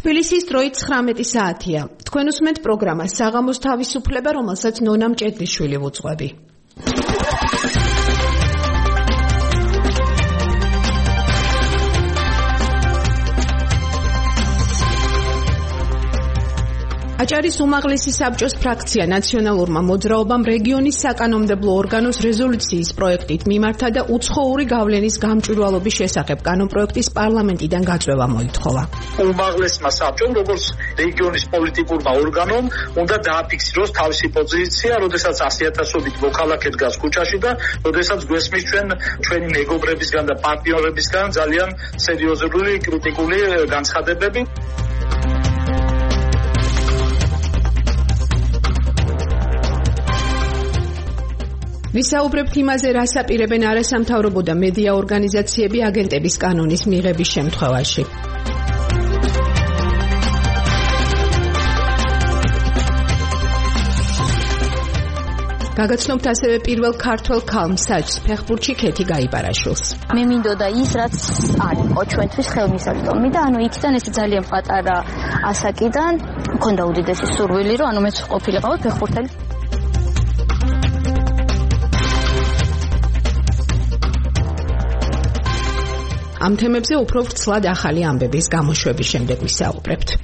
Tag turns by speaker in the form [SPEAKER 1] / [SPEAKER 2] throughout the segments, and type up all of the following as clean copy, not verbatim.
[SPEAKER 1] თბილისის დროით 19 საათია. თქვენ უსმენთ პროგრამას საღამოს თავისუფლება, რომელსაც ნონა მჭედლიშვილი ვუძღვები. აჭარის უმაღლესი საბჭოს ფრაქცია ნაციონალურმა მოძრაობამ რეგიონის საკანონმდებლო ორგანოს რეზოლუციის პროექტით მიმართა და უცხოური გავლენის გამჭვირვალობის შესახებ კანონპროექტის პარლამენტიდან გაწვევა მოითხოვა.
[SPEAKER 2] უმაღლესმა საბჭომ, როგორც რეგიონის პოლიტიკურმა ორგანომ, უნდა დააფიქსიროს თავისი პოზიცია, როდესაც 100,000-ობით მოქალაქე დგას ქუჩაში და როდესაც გვესმის ჩვენი მეგობრებისგან და პარტნიორებისგან ძალიან სერიოზული კრიტიკული განცხადებები.
[SPEAKER 1] ვისაუბრებთ იმაზე, რას აპირებენ არასამთავრობო და მედია ორგანიზაციები აგენტების კანონის მიღების შემთხვევაში. გაგაცნობთ ასევე პირველ ქართველ ქალმსაჯს ფეხბურთში ქეთი გაიბარაშვილს.
[SPEAKER 3] მე მინდოდა ის, რაც არის ჩვენთვის ხელმისაწვდომი და იქიდან ეს ძალიან პატარა ასაკიდან მქონდა უდიდესი სურვილი, რომ მეც ყოფილიყავ ფეხბურთელი. ამ თემებზე უფრო ვრცლად ახალი ამბების გამოშვების შემდეგ ვისაუბრებთ.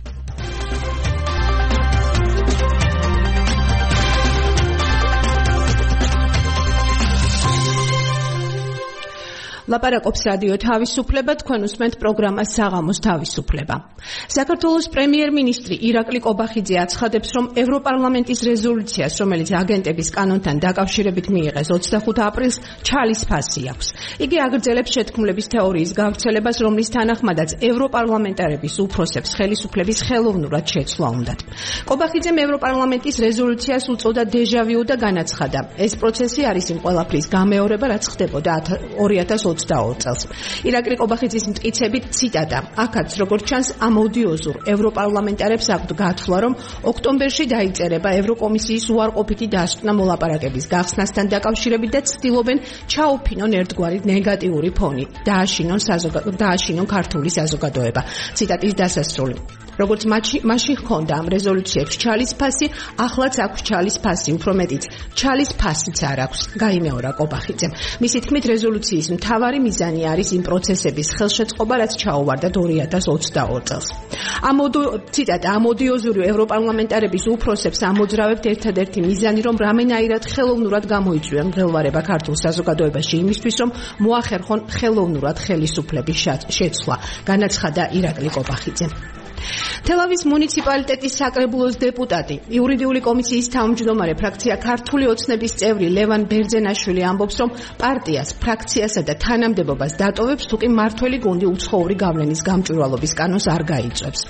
[SPEAKER 3] ლაპარაკობს რადიო თავისუფლება, თქვენ უსმენთ პროგრამას საღამოს თავისუფლება. საქართველოს პრემიერ-მინისტრი ირაკლი კობახიძე აცხადებს, რომ ევროპარლამენტის რეზოლუციას, რომელიც აგენტების კანონთან დაკავშირებით მიიღეს 25 აპრილს, ჩალის ფასი აქვს. იგი აგრძელებს შეთქმულების თეორიის გავრცელებას, რომლის თანახმადაც ევროპარლამენტარების უფროსებს ხელისუფლების ხელოვნურად შეცვლა უნდათ. კობახიძემ ევროპარლამენტის რეზოლუციას უწოდა დეჟავიუ და განაცხადა, ეს პროცესი არის იმ ყველაფრის გამეორება, რაც ხდებოდა 2020 წელს. ირაკლი კობახიძის მტკიცებით ციტატა: "აქაც როგორც ჩანს, ამოდიოზურ ევროპარლამენტარებს აქვთ გათვლა, რომ ოქტომბერში დაიწერება ევროკომისიის უარყოფითი დასკვნა მოლაპარაკების გახსნასთან დაკავშირებით და ცდილობენ ჩაუფინონ ერთგვარი ნეგატიური ფონი, დააშინონ ქართული საზოგადოება." ციტატის დასასრული. როგორც მაშინ ჰქონდა ამ რეზოლუციებს ჩალის ფასი, ახლაც აქვს ჩალის ფასი, უფრო მეტიც ჩალის ფასიც არ აქვს, გაიმეორა კობახიძემ. მისი თქმით, რეზოლუციის მთავარი მიზანი არის იმ პროცესების ხელშეწყობა, რაც ჩაუვარდათ 2022 წელს. ციტატა: "ამოდიოზური ევროპარლამენტარების უფროსებს ამოძრავებთ ერთადერთი მიზანი, რომ რამენაირად ხელოვნურად გამოიწვიონ მღელვარება ქართულ საზოგადოებაში იმისთვის, რომ მოახერხონ ხელოვნურად ხელისუფლების შეცვლა", განაცხადა ირაკლი კობახიძემ. თელავის მუნიციპალიტეტის საკრებულოს დეპუტატი, იურიდიული კომისიის თავმჯდომარე, ფრაქცია ქართული ოცნების წევრი ლევან ბერძენაშვილი ამბობს, რომ პარტიას, ფრაქციასა და თანამდებობას დატოვებს, თუკი მმართველი გუნდი უცხოური გავლენის გამჭვირვალობის კანონს არ გაიწვევს.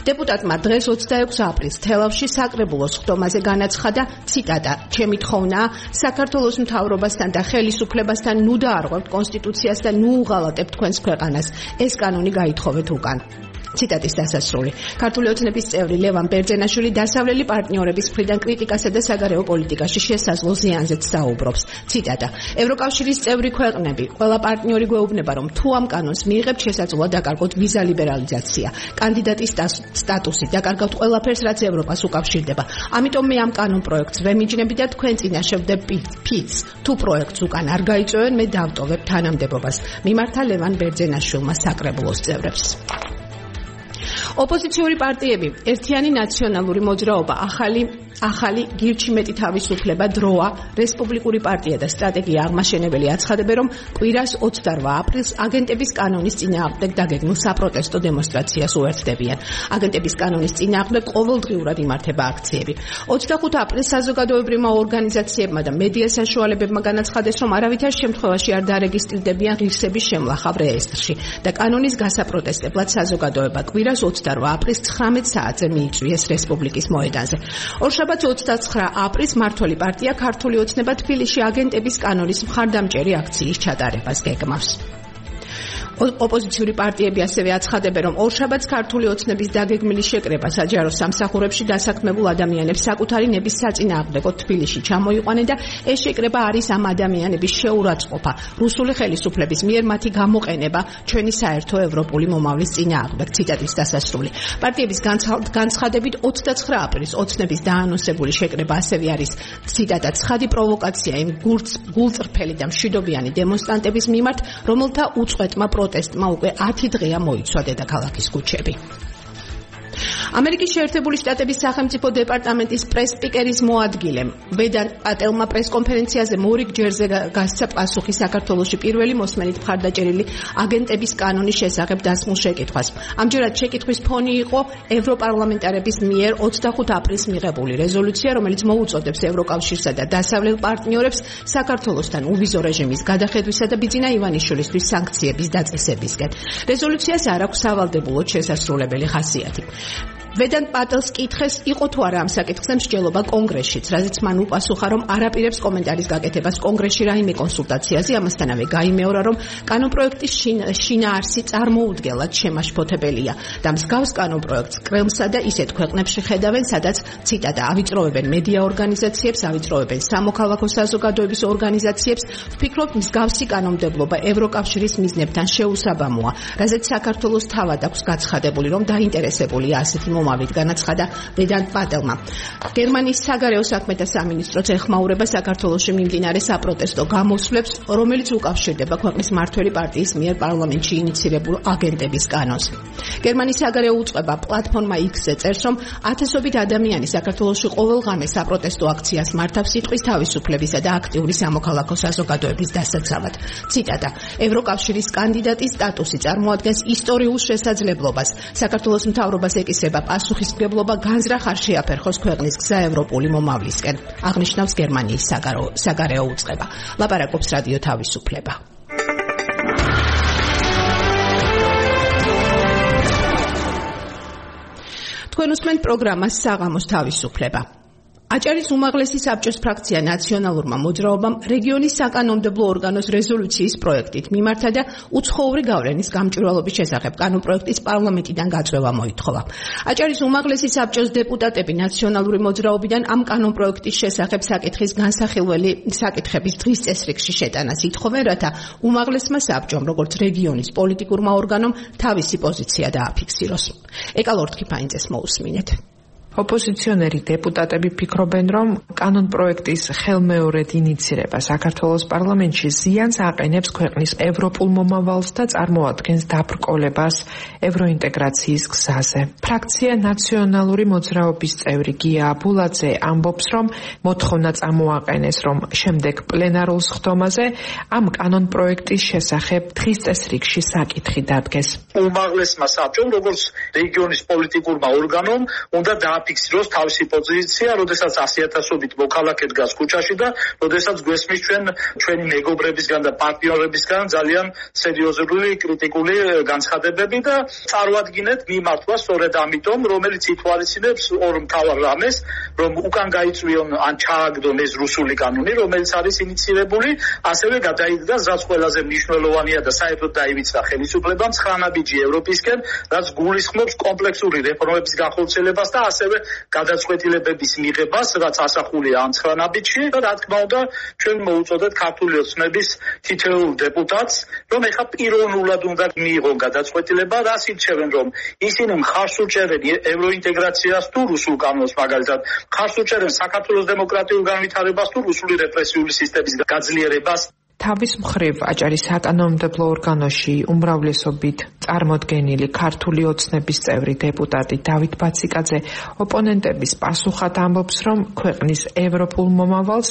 [SPEAKER 3] დეპუტატმა დღეს 26 აპრილს თელავში საკრებულოს ხდომაზე განაცხადა, ციტატა: "ჩემი თხოვნაა, საქართველოს მთავრობასთან და ხელისუფლებასთან ნუ დაარღვევთ კონსტიტუციას და ნუ უღალატებთ თქვენს ქვეყანას. ეს კანონი გაითხოვეთ უკან." ციტატის დასასრული. ქართული ოცნების წევრი ლევან ბერძენაშვილი დასავლელი პარტნიორების მხრიდან კრიტიკასა და საგარეო პოლიტიკაში შესაძლო ზიანზეც საუბრობს. ციტატა: "ევროკავშირის წევრი ქვეყნები, ყველა პარტნიორი გვეუბნება, რომ თუ ამ კანონს მიიღებთ, შესაძლოა დაკარგოთ ვიზა ლიბერალიზაცია, კანდიდატის სტატუსი, დაკარგავთ ყველაფერს, რაც ევროპას უკავშირდება. ამიტომ მე ამ კანონ პროექტს ვემიჯნები და თქვენ წინაშე ვდებ ფიცს. თუ პროექტს უკან არ გაიწვევენ, მე დავტოვებ თანამდებობას", მიმართა ლევან ბერძენაშვილმა საკრებულოს წევრებს. ოპოზიციური პარტიები, ერთიანი ნაციონალური მოძრაობა, ახალი გირჩი მეტი თავისუფლება, დროა, რესპუბლიკური პარტია და სტრატეგია აღმაშენებელი აცხადებენ, რომ კვირას 28 აპრილს აგენტების კანონის წინააღმდეგ დაგეგმილ საპროტესტო დემონსტრაციას უერთდებიან. აგენტების კანონის წინააღმდეგ ყოველდღიურად იმართება აქციები. 25 აპრილს საზოგადოებრივმა ორგანიზაციებმა და მედია საშუალებებმა განაცხადეს, რომ არავითარ შემთხვევაში არ დარეგისტრირდებიან ღირსების შემლახავ რეესტრში და კანონის გასაპროტესტებლად საზოგადოება კვირას 28 აპრილს 19 საათზე მიიწვიეს რესპუბლიკის მოედანზე. ორშაბათს 29 აპრილს მმართველი პარტია ქართული ოცნება თბილისში აგენტების კანონის მხარდამჭერი აქციის ჩატარებას გეგმავს.
[SPEAKER 1] ოპოზიციური პარტიები ასევე აცხადებენ, რომ ორშაბათს ქართული ოცნების დაგეგმილი შეკრება საჯარო სამსახურებში დასაქმებულ ადამიანებს საკუთარი ნების საწინააღმდეგოდ თბილისში ჩამოიყვანენ და ეს შეკრება არის ამ ადამიანების შეურაცხყოფა, რუსული ხელისუფლების მიერ მათი გამოყენება ჩვენი საერთო ევროპული მომავლის წინააღმდეგ. ციტატის დასასრული. პარტიების განცხადებით 29 აპრილის ოცნების დაანონსებული შეკრება ასევე არის ციტატა ცხადი პროვოკაცია იმ გულწრფელი და მშვიდობიანი დემონსტრანტების მიმართ, რომელთა უწყვეტმა პროტესტმა უკვე 10 დღეა მოიცვა დედაქალაქის ქუჩები. ამერიკის შეერთებული შტატების სახელმწიფო დეპარტამენტის პრეს-სპიკერის მოადგილემ ვედან პატელმა პრეს-კონფერენციაზე მორიგ ჯერზე გასცა პასუხი საქართველოში პირველი მოსმენით მხარდაჭერილი აგენტების კანონის შესახებ დასმულ შეკითხვას. ამჯერად შეკითხვის ფონი იყო ევროპარლამენტარების მიერ 25 აპრილს მიღებული რეზოლუცია, რომელიც მოუწოდებს ევროკავშირსა და დასავლელ პარტნიორებს საქართველოსთან უვიზო რეჟიმის გადახედვისა და ბიძინა ივანიშვილისთვის სანქციების დაწესებისკენ. რეზოლუციას არ აქვს სავალდებულოდ შესასრულებელი ხასიათი. ვედან პატელს კითხეს, იყო თუ არა ამ საკითხზე მსჯელობა კონგრესშიც, რაზეც მან უპასუხა, რომ არაპირებს კომენტარის გაკეთებას კონგრესში რაიმე კონსულტაციაზე, ამასთანავე გაიმეორა, რომ კანონპროექტის შინაარსი წარმოუდგენლად შემაშფოთებელია და მსგავს კანონპროექტს კრემლსა და ისეთ ქვეყნებში ხედავენ, სადაც ციტატა ავიწროვებენ მედია ორგანიზაციებს, ავიწროვებენ სამოქალაქო საზოგადოების ორგანიზაციებს. ვფიქრობ, მსგავსი კანონმდებლობა ევროკავშირის მიზნებთან შეუსაბამოა, რაზეც საქართველოს თავად აქვს გაცხადებული, რომ დაინტერესებულია ასეთი მომავლით, განაცხადა ვედან პატელმა. გერმანიის საგარეო საქმეთა სამინისტროც ეხმაურება საქართველოში მიმდინარე საპროტესტო გამოსვლებს, რომელიც უკავშირდება ქვეყნის მმართველი პარტიის მიერ პარლამენტში ინიცირებულ აგენტების კანონს. გერმანიის საგარეო უწყება პლატფორმა X-ზე წერს, რომ ათასობით ადამიანი საქართველოში ყოველღამე საპროტესტო აქციას მართავს სიტყვის თავისუფლებისა და აქტიური სამოქალაქო საზოგადოების დასაცავად. ციტატა: ევროკავშირის კანდიდატის სტატუსი წარმოადგენს ისტორიულ შესაძლებლობას. საქართველოს მთავრობას ეკისრება პასუხისმგებლობა განზრახ არ შეაფერხოს ქვეყნის გზა ევროპული მომავლისკენ, აღნიშნავს გერმანიის საგარეო უწყება. ლაპარაკობს რადიო თავისუფლება. თქვენ უსმენთ პროგრამას საღამოს თავისუფლება. აჭარის უმაღლესი საბჭოს ფრაქცია ნაციონალურმა მოძრაობამ რეგიონის საკანონმდებლო ორგანოს რეზოლუციის პროექტით მიმართა და უცხოური გავლენის გამჭვირვალობის შესახებ კანონპროექტის პარლამენტიდან გაწვევა მოითხოვა. აჭარის უმაღლესი საბჭოს დეპუტატები ნაციონალური მოძრაობიდან ამ კანონპროექტის შესახებ საკითხის განსახილველი საკითხების დღის წესრიგში შეტანას ითხოვენ, რათა უმაღლესმა საბჭომ, როგორც რეგიონის პოლიტიკურმა ორგანომ, თავისი პოზიცია დააფიქსიროს. ეკალორთქიფაინძეს მოусმინეთ.
[SPEAKER 4] ოპოზიციონერი დეპუტატები ფიქრობენ, რომ კანონპროექტის ხელმეორედ ინიცირება საქართველოს პარლამენტში ზიანს აყენებს ქვეყნის ევროპულ მომავალს და წარმოადგენს დაბრკოლებას ევროინტეგრაციის გზაზე. ფრაქცია ნაციონალური მოძრაობის წევრი გია აბულაძე ამბობს, რომ მოთხოვნა წამოაყენეს, რომ შემდეგ პლენარულ სხდომაზე ამ კანონპროექტის შესახებ დღის წესრიგში საკითხი დადგეს.
[SPEAKER 2] უმაღლესმა საბჭომ, როგორც რეგიონის პოლიტიკურმა ორგანომ, უნდა ფიქსიროს თავისი პოზიცია, როდესაც 100,000-ობით მოქალაქე დგას ქუჩაში და როდესაც გვესმის ჩვენი მეგობრებისგან და პარტნიორებისგან ძალიან სერიოზული კრიტიკული განცხადებები და წარმოადგინეთ მიმართვა სწორედ ამიტომ, რომელიც ითვალისწინებს ორ მთავარ რამეს, რომ უკან გაიწვიონ ან ჩააგდონ ეს რუსული კანონი, რომელიც არის ინიცირებული, ასევე გადაიდგას, რაც ყველაზე მნიშვნელოვანია და საერთოდ დაივიწყა ხელისუფლებამ 9 ნაბიჯი ევროპისკენ, რაც გულისხმობს კომპლექსური რეფორმების განხორციელებას და ასევე გადაწყვეტილებების მიღებას, რაც ასახულია ამ 9 ნაბიჯში და რა თქმა უნდა ჩვენ მოუწოდეთ ქართული ოცნების თითოეულ დეპუტატს, რომ ეხა პიროვნულად უნდა მიიღონ გადაწყვეტილება, რას ირჩევენ, რომ ისინი მხარს უჭერენ ევროინტეგრაციას თუ რუსულ კანონს, მაგალითად მხარს უჭერენ საქართველოს დემოკრატიულ განვითარებას თუ რუსული რეპრესიული სისტემის გაძლიერებას.
[SPEAKER 4] თავის მხრივ აჭარის საკანონმდებლო ორგანოში უმრავლესობით წარმოდგენილი ქართული ოცნების წევრი დეპუტატი დავით ბაციკაძე ოპონენტების პასუხად ამბობს, რომ ქვეყნის ევროპულ მომავალს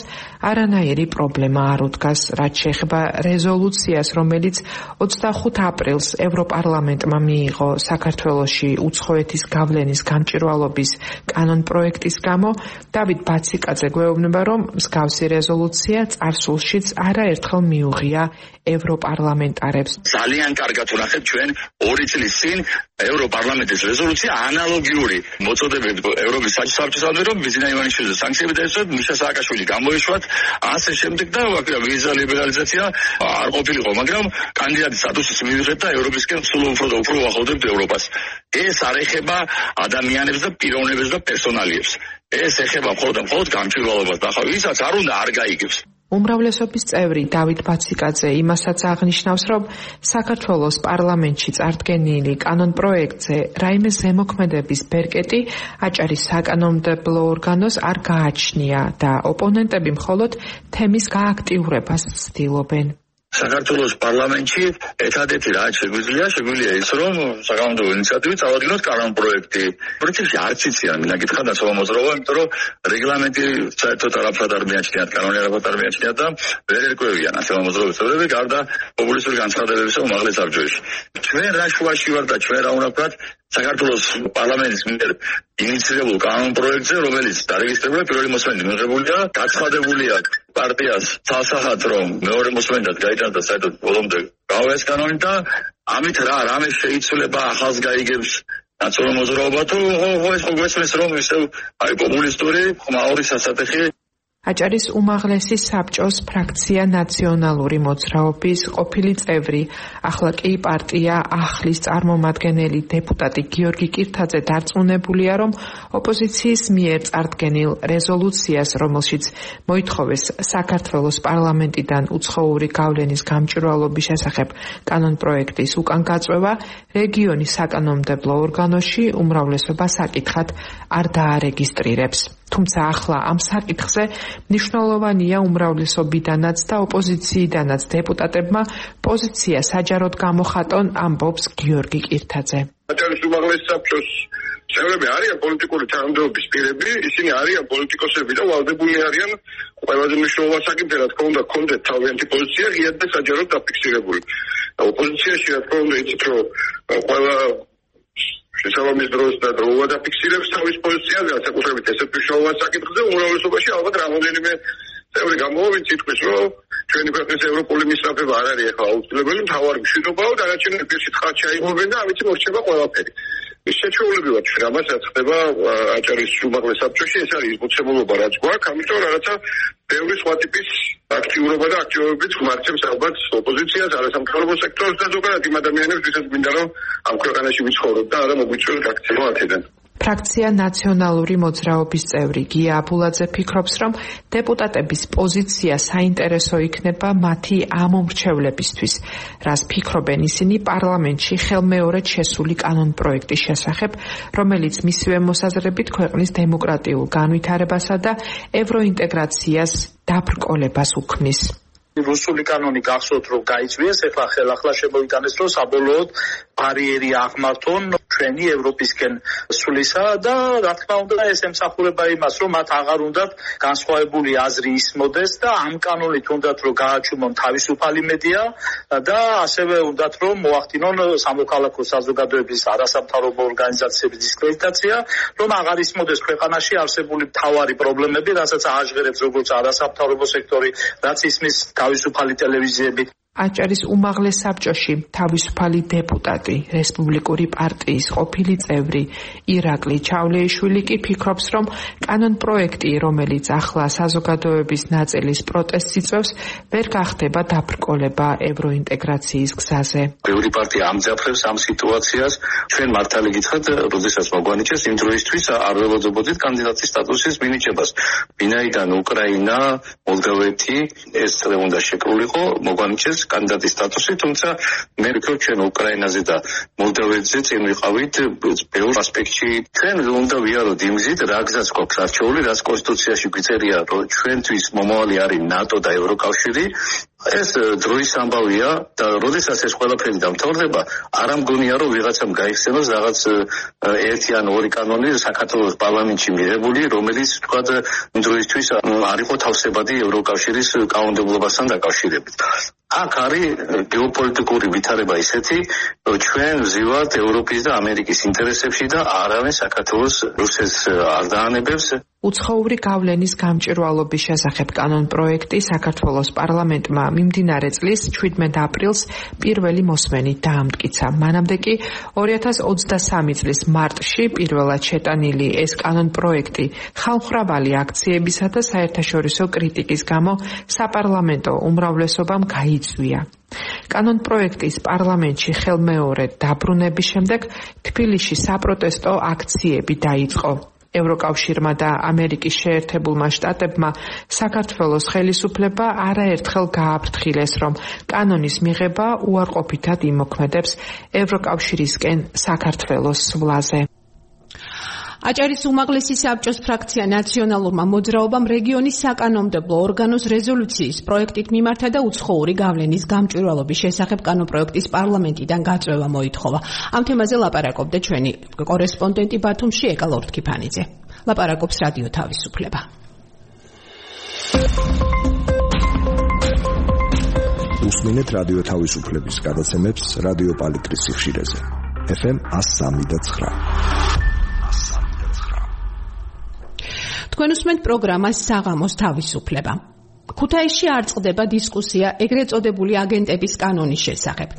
[SPEAKER 4] არანაირი პრობლემა არ უდგას, რაც შეეხება რეზოლუციას, რომელიც 25 აპრილს ევროპარლამენტმა მიიღო საქართველოში უცხოეთის გავლენის გამჭვირვალობის კანონპროექტის გამო. დავით ბაციკაძე გვეუბნება, რომ მსგავსი რეზოლუცია წარსულშიც არაერთხელ საფრთხე მიუღია ევროპარლამენტარებს.
[SPEAKER 5] ძალიან კარგად ვნახეთ ჩვენ 2 წლის წინ ევროპარლამენტის რეზოლუცია ანალოგიური მოწოდებებით ევროპის საერთაშორისო რომ ბიზნეს ივანიშვილის სანქციები დაეცვათ, მიშა სააკაშვილი გამოეშვათ, ასე შემდეგ და ვიზა ლიბერალიზაცია არ ყოფილიყო, მაგრამ კანდიდატის სტატუსის მივიღეთ და ევროპისკენ სულ უფრო და უფრო ვახავდებთ ევროპას. ეს არ ეხება ადამიანებს და პიროვნებებს და პერსონალიებს. ეს ეხება მხოლოდ გამჭვირვალობას და ვისაც არ უნდა არ გაიგებს.
[SPEAKER 4] უმრავლესობის წევრი დავით ბაციკაძე იმასაც აღნიშნავს, რომ საქართველოს პარლამენტში წარდგენილი კანონპროექტზე რაიმე ზემოქმედების ბერკეტი აჭარის საკანონმდებლო ორგანოს არ გააჩნია და ოპონენტები მხოლოდ თემის გააქტიურებას ცდილობენ.
[SPEAKER 5] საქართველოს პარლამენტში ერთადერთი რაც შეგვიძლია ის რომ საკანონმდებლო ინიციატივით წავადგინოთ კანონპროექტი. პრინციპში არც იციან მინდა გითხრა დაცვა მოძრაობა, იმიტომ რომ რეგლამენტი საერთოდ არაფრად არ მიაჩნიათ, კანონი არაფრად არ მიაჩნიათ და ვერ ერკვევიან ასე მოძრაობის წევრები გარდა პოპულისტური განცხადებებისა უმაღლეს საბჭოში. ჩვენ რა შუაში ვართ და ჩვენ რა უნდა ვქნათ საქართველოს პარლამენტის მიერ ინიციირებულ კანონპროექტზე, რომელიც დარეგისტრირებული პირველი მოსმენით მიღებულია, გაცხადებულია პარტიას სასახად, რომ მეორე მოსმენად გაიტანოს და საერთოდ ბოლომდე გავეს კანონი და ამით რამე შეიცვლება ახალს გაიგებს ნაციონალური მოძრაობა თუ ეს მოგესმის რომ ისევ პოპულისტური ხმაური სასატეხი.
[SPEAKER 4] აჭარის უმაღლესი საბჭოს ფრაქცია ნაციონალური მოძრაობის ყოფილი წევრი, ახლა კი პარტია ახლის წარმომადგენელი დეპუტატი გიორგი კირთაძე დარწმუნებულია, რომ ოპოზიციის მიერ წარდგენილ რეზოლუციას, რომელშიც მოითხოვეს საქართველოს პარლამენტიდან უცხოური გავლენის გამჭვირვალობის შესახებ კანონპროექტის უკან გაწვევა, რეგიონის საკანონმდებლო ორგანოში უმრავლესობა საკითხად არ დაარეგისტრირებს. თუმცა ახლა ამ საკითხზე მნიშვნელოვანია უმრავლესობიდანაც და ოპოზიციიდანაც დეპუტატებმა პოზიცია საჯაროდ გამოხატონ, ამბობს გიორგი კირთაძე.
[SPEAKER 6] აჭარის უმაღლესი საბჭოს წევრები არიან პოლიტიკური თანამდებობის პირები, ისინი არიან პოლიტიკოსები და ვალდებული არიან ყველაზე მნიშვნელოვან საკითხზე, რა თქმა უნდა, კონდეთ თავიანთი პოზიცია ღიად და საჯაროდ დაფიქსირებული. ოპოზიციაში რა თქმა უნდა იცით, რომ ყველა შესაბამის დროს და დროულად დაფიქსირებს თავის პოზიციას, განსაკუთრებით ესეთ მნიშვნელოვან საკითხზე, უმრავლესობაში ალბათ რამოდენიმე წევრი გამოვიდეს თითქოს, რომ ჩვენი ქვეყნის ევროპული მისწრაფება არ არის ახლა აუცილებელი, მთავარი მშვიდობაა, დანარჩენი პირში თხარ ჩაიღობენ და ამით მორჩება ყველაფერი. ის შეჩვეულები ვართ ჩვენ, ამასაც ხდება აჭარის უმაღლეს საბჭოში, ეს არის მოცემულობა რაც გვაქვს, ამიტომ რაღაცა ბევრი სხვა ტიპის აქტიურობა და აქტივობებით გვმართებს ალბათ ოპოზიციას, არასამთავრობო სექტორს და ზოგადად იმ ადამიანებს, ვისაც მინდა რომ ამ ქვეყანაში ვიცხოვროთ და არა მოგვიწვიოს აქცია აქედან.
[SPEAKER 4] ფრაქცია ნაციონალური მოძრაობის წევრი გია აბულაძე ფიქრობს, რომ დეპუტატების პოზიცია საინტერესო იქნება მათი ამომრჩევლებისთვის, რას ფიქრობენ ისინი პარლამენტში ხელმეორედ შესული კანონპროექტის შესახებ, რომელიც მისივე მოსაზრებით ქვეყნის დემოკრატიულ განვითარებასა და ევროინტეგრაციას დაბრკოლებას უქმნის.
[SPEAKER 2] რუსული კანონი გახსოვთ რომ გაიწვიეს, ეხლა ხელახლა შემოიტანეს რომ საბოლოოდ ბარიერი აღმართონ ჩვენი ევროპისკენ სვლისა და რა თქმა უნდა ეს ემსახურება იმას რომ მათ აღარ უნდათ განსხვავებული აზრი ისმოდეს და ამ კანონით უნდათ რომ გააჩუმონ თავისუფალი მედია და ასევე უნდათ რომ მოახდინონ სამოქალაქო საზოგადოების არასამთავრობო ორგანიზაციების დისკრედიტაცია, რომ აღარ ისმოდეს ქვეყანაში არსებული მთავარი პრობლემები, რასაც ააჟღერებს როგორც არასამთავრობო სექტორი, რაც ისმის თავისუფალი ტელევიზიები.
[SPEAKER 4] აჭარის უმაღლეს საბჭოში თავისუფალი დეპუტატი, რესპუბლიკური პარტიის ყოფილი წევრი ირაკლი ჩავლეიშვილი კი ფიქრობს, რომ კანონპროექტი, რომელიც ახლა საზოგადოების ნაწილის პროტესტს იწვევს, ვერ გახდება დაბრკოლება ევროინტეგრაციის გზაზე.
[SPEAKER 5] ბევრი პარტია ამძაფრებს ამ სიტუაციას. ჩვენ მართალი გითხრათ, როდესაც მოგვანიჭეს იმ დროისთვის არ ველოდებოდით კანდიდატის სტატუსის მინიჭებას. ვინაიდან უკრაინა, მოლდოვეთი ეს წრე უნდა შეკრულიყო, მოგვანიჭეს კანდიდატის სტატუსი, თუმცა მე ვფიქრობ ჩვენ უკრაინაზე და მოლდოვეთზე წინ ვიყავით ბევრ ასპექტში. ჩვენ უნდა ვიაროთ იმ გზით, რა გზაც გვაქვს არჩეული, რაც კონსტიტუციაში გვიწერია, რომ ჩვენთვის მომავალი არის ნატო და ევროკავშირი. ეს დროის ამბავია და როდესაც ეს ყველაფერი დამთავრდება, არ ამგონია რომ ვიღაცამ გაიხსენოს რაღაც ერთი ან ორი კანონი საქართველოს პარლამენტში მიღებული, რომელიც თქვათ დროისთვის არ იყო თავსებადი ევროკავშირის კანონმდებლობასთან დაკავშირებით. აქ არის გეოპოლიტიკური ვითარება ისეთი, რომ ჩვენ ვზივართ ევროპის და ამერიკის ინტერესებში და არავინ საქართველოს რუსეთს არ დაანებებს.
[SPEAKER 4] უცხოური გავლენის გამჭვირვალობის შესახებ კანონპროექტი საქართველოს პარლამენტმა მიმდინარე წლის 17 აპრილს პირველი მოსმენით დაამტკიცა. მანამდე კი 2023 წლის მარტში პირველად შეტანილი ეს კანონპროექტი ხალხმრავალი აქციებისა და საერთაშორისო კრიტიკის გამო საპარლამენტო უმრავლესობამ გაიწვია. კანონპროექტის პარლამენტში ხელმეორედ დაბრუნების შემდეგ თბილისში საპროტესტო აქციები დაიწყო. ევროკავშირმა და ამერიკის შეერთებულმა შტატებმა საქართველოს ხელისუფლება არაერთხელ გააფრთხილეს, რომ კანონის მიღება უარყოფითად იმოქმედებს ევროკავშირისკენ საქართველოს სვლაზე.
[SPEAKER 1] აჭარის უმაღლესი საბჭოს ფრაქცია ნაციონალურმა მოძრაობამ რეგიონის საკანონმდებლო ორგანოს რეზოლუციის პროექტით მიმართა და უცხოური გავლენის გამჭვირვალობის შესახებ კანონპროექტის პარლამენტიდან გაწვევა მოითხოვა. ამ თემაზე ლაპარაკობდა ჩვენი კორესპონდენტი ბათუმში ეკა ლორთქიფანიძე. ლაპარაკობს რადიო თავისუფლება.
[SPEAKER 7] უსმინეთ რადიო თავისუფლების გადაცემებს რადიო პალიტრის სიხშირეზე. FM 103.9.
[SPEAKER 1] თქვენ უსმენთ პროგრამას საღამოს თავისუფლება. ქუთაისში არ წყდება დისკუსია ეგრეთ წოდებული აგენტების კანონის შესახებ.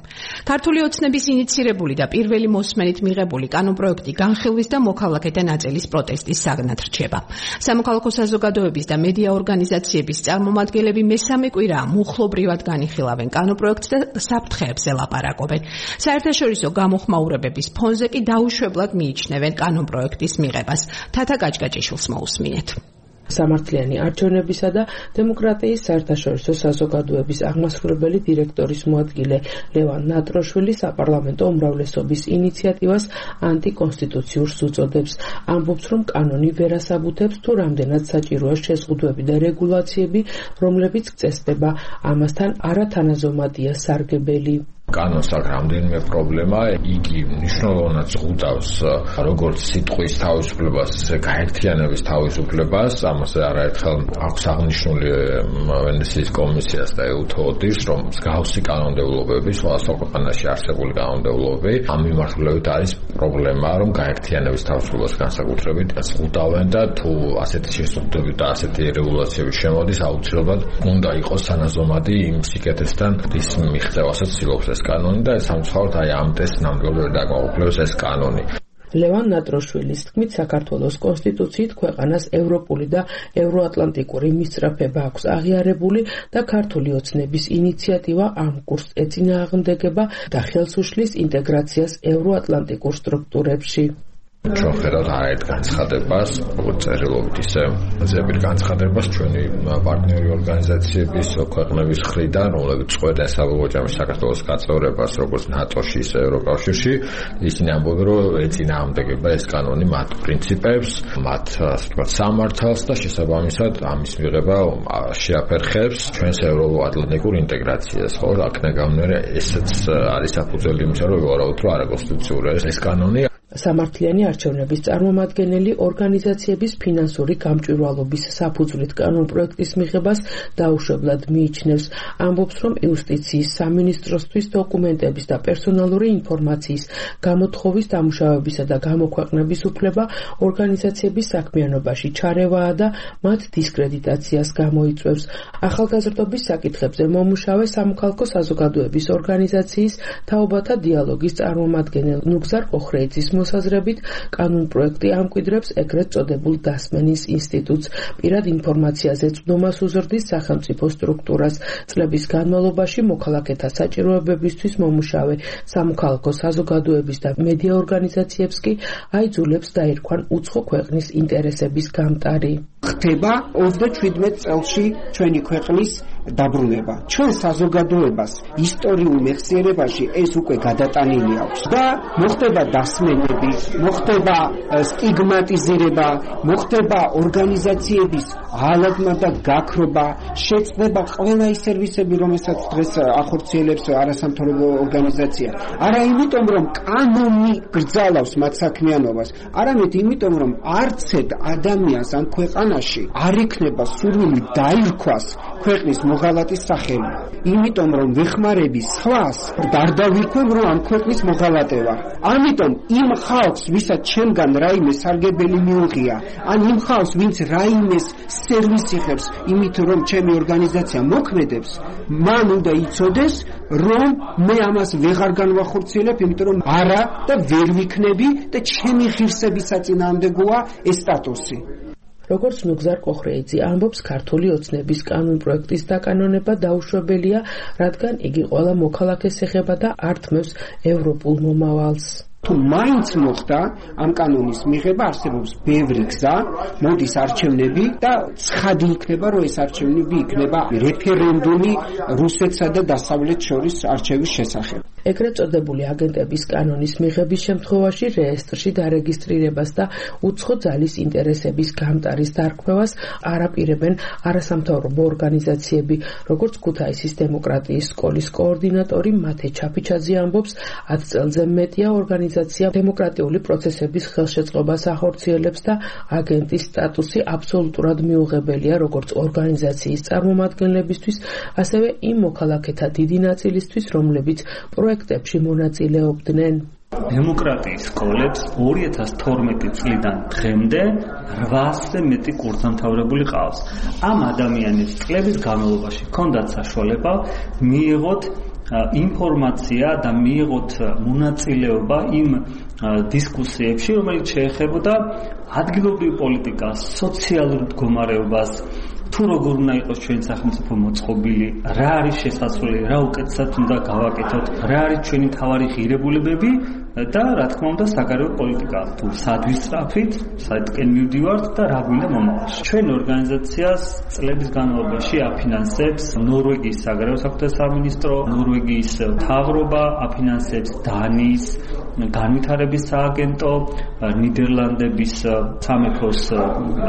[SPEAKER 1] ქართული ოცნების ინიცირებული და პირველი მოსმენით მიღებული კანონპროექტი განხილვის და მოქალაქეთა ნაწილის პროტესტის საგნად რჩება. სამოქალაქო საზოგადოების და მედია ორგანიზაციების წარმომადგენლები მესამე კვირაა მუხლობრივად განიხილავენ კანონპროექტს და საფრთხეებზე ლაპარაკობენ. საერთაშორისო გამოხმაურებების ფონზე კი დაუშვებლად მიიჩნევენ კანონპროექტის მიღებას. თათა გაჭგაჭიშვილს მოусმინეთ.
[SPEAKER 8] სამართლიანი არჩევნებისა და დემოკრატიის საერთაშორისო საზოგადოების აღმასრულებელი დირექტორის მოადგილე ლევან ნატროშვილი საპარლამენტო უმრავლესობის ინიციატივას ანტიკონსტიტუციურს უწოდებს. ამბობს, რომ კანონი ვერ ასაბუთებს თუ რამდენად საჭიროა შეზღუდვები და რეგულაციები, რომლებიც წესდება. ამასთან არათანაზომადია სარგებელი.
[SPEAKER 9] კანონს აქვს რამდენიმე პრობლემა, იგი მნიშვნელოვნად ზღუდავს როგორც სიტყვის თავისუფლებას, ისე გაერთიანების თავისუფლებას. ამაზე არაერთხელ აქვს აღნიშნული ვენეციის კომისიას და EUTHODIS, რომ მსგავსი კანონმდებლობები სხვადასხვა ქვეყანაში არსებული კანონმდებლობები ამ მიმართულებით არის პრობლემა, რომ გაერთიანების თავისუფლებას განსაკუთრებით ზღუდავენ და თუ ასეთი შეზღუდვები და ასეთი რეგულაციები შემოდის, აუცილებლად უნდა იყოს თანაზომადი იმ სიკეთესთან, რის მიღწევასაც ცდილობს ეს კანონი და სამწუხაროდ ამ ტესტს ნამდვილად დაკმაყოფილებს ეს კანონი.
[SPEAKER 8] ლევან ნატროშვილის თქმით, საქართველოს კონსტიტუციით ქვეყანას ევროპული და ევროატლანტიკური მისწრაფება აქვს აღიარებული და ქართული ოცნების ინიციატივა ამ კურსს ეწინააღმდეგება და ხელს უშლის ინტეგრაციას ევროატლანტიკურ სტრუქტურებში.
[SPEAKER 9] ჩვენ ხედავთ არაერთ განცხადებას, როგორც წერილობით ისე ზეპირ განცხადებას ჩვენი პარტნიორი ორგანიზაციების ქვეყნების მხრიდან, რომლებიც წყვეტენ საბოლოო საქართველოს გაწევრებას როგორც ნატოში, ისე ევროკავშირში, ისინი ამბობენ, რომ ეწინააღმდეგება ეს კანონი მათ პრინციპებს, მათ ასე ვთქვათ სამართალს და შესაბამისად ამის მიღება შეაფერხებს ჩვენს ევროატლანტიკურ ინტეგრაციას. ხო, აქ ნაგამნერე ესეც არის საფუძველი იმისა, რომ ვარაუდობთ, რომ არაკონსტიტუციურია ეს კანონი.
[SPEAKER 8] სამართლიანი არჩევნების წარმომადგენელი ორგანიზაციების ფინანსური გამჭვირვალობის საფუძვლით კანონპროექტის მიღებას დაუშვებლად მიიჩნევს. ამბობს, რომ იუსტიციის სამინისტროსთვის დოკუმენტების და პერსონალური ინფორმაციის გამოთხოვის, დამუშავებისა და გამოქვეყნების უფლება ორგანიზაციების საქმიანობაში ჩარევაა და მათ დისკრედიტაციას გამოიწვევს. ახალგაზრდობის საკითხებზე მომუშავე სამოქალაქო საზოგადოების ორგანიზაციის თაობათა დიალოგის წარმომადგენელ ნუგზარ ოხრეიძის მოსაზრებით, კანონპროექტი ამკვიდრებს ეგრეთ წოდებულ დასმენის ინსტიტუტს, პირად ინფორმაციაზე წვდომას უზრდის სახელმწიფო სტრუქტურას. წლების განმავლობაში მოქალაქეთა საჭიროებებისთვის მომუშავე სამოქალაქო საზოგადოების და მედია ორგანიზაციებს კი აიძულებს დაირქვან უცხო ქვეყნის ინტერესების გამტარი.
[SPEAKER 10] ხდება 27 წელში ჩვენი ქვეყნის დაბრუნება. ჩვენ საზოგადოებას ისტორიულ მეხსიერებაში ეს უკვე გადატანილი აქვს და მოხდება დასმენები, მოხდება სტიგმატიზირება, მოხდება ორგანიზაციების ღალატმა და გაქრობა, შეწდება ყველა ის სერვისები, რომელსაც დღეს ახორციელებს არასამთავრობო ორგანიზაცია. არა იმიტომ, რომ კანონი გრძალავს მათ საქმიანობას, არამედ იმიტომ, რომ არცეთ ადამიანს ამ ქვეყანაში არ ექნება სურვილი დაირქვას ქვეყნის მოღალატის სახელი. იმიტომ რომ ვეხმარები სხვას, დარდავიქვებ რომ ამ ქვეყნის მოღალატე ვარ. ამიტომ იმ ხალხს, ვისაც ჩემგან რაიმე სარგებელი მიუღია, ან იმ ხალხს, ვინც რაიმეს სერვისი ხებს, იმით რომ ჩემი ორგანიზაცია მოქმედებს, მან უნდა იცოდეს, რომ მე ამას ვეღარ განვახორციელებ, იმიტომ რომ არა და ვერ ვიქნები და ჩემი ღირსების საწინააღმდეგოა ეს სტატუსი.
[SPEAKER 8] როგორც ნუგზარ კოხრეიძე ამბობს, ქართული ოცნების კანონპროექტის დაკანონება დაუშვებელია, რადგან იგი ყველა მოქალაქეს ეხება და ართმევს ევროპულ მომავალს.
[SPEAKER 10] თუ მაინც მოხდა ამ კანონის მიღება, არსებობს ბევრი გზა, მოდის არჩევნები და ცხადი იქნება, რომ ეს არჩევნები იქნება რეფერენდუმი რუსეთსა და დასავლეთს შორის არჩევის შესახებ.
[SPEAKER 8] ეგრეთ წოდებული აგენტების კანონის მიღების შემთხვევაში რეესტრში დარეგისტრირებას და უცხო ძალის ინტერესების გამტარის დარქმევას არაპირებენ არასამთავრობო ორგანიზაციები, როგორც ქუთაისის დემოკრატიის სკოლის კოორდინატორი მათე ჩაფიჩაძე ამბობს, 10 წელზე მეტია ორგანიზაცია დემოკრატიული პროცესების ხელშეწყობას ახორციელებს და აგენტის სტატუსი აბსოლუტურად მიუღებელია როგორც ორგანიზაციის წარმომადგენლებისთვის, ასევე იმ მოქალაქეთა დიდი ნაწილისთვის, რომლებიც პროექტებში მონაწილეობდნენ.
[SPEAKER 11] დემოკრატიის სკოლებს 2012 წლიდან დღემდე 800-ზე მეტი კურსდამთავრებული ყავს. ამ ადამიანებს წლების განმავლობაში ჰქონდათ საშუალება მიიღოთ ინფორმაცია და მიიღოთ მონაწილეობა იმ დისკუსიებში, რომელიც შეეხებოდა ადგილობრივ პოლიტიკას, სოციალურ მდგომარეობას, თუ როგორ უნდა იყოს ჩვენი სახელმწიფო მოწყობილი, რა არის შესაძლებელი, რა უკეთესად უნდა გავაკეთოთ, რა არის ჩვენი მთავარი ღირებულებები და რა თქმა უნდა საგარეო პოლიტიკა, თუ სად ვისწრაფით, სადკენ მივდივართ და რა გვინდა მომავალში. ჩვენ ორგანიზაციას წლების განმავლობაში აფინანსებს ნორვეგიის საგარეო საქმეთა სამინისტრო, ნორვეგიის მთავრობა, აფინანსებს დანიის განვითარების სააგენტო, ნიდერლანდების სამეფოს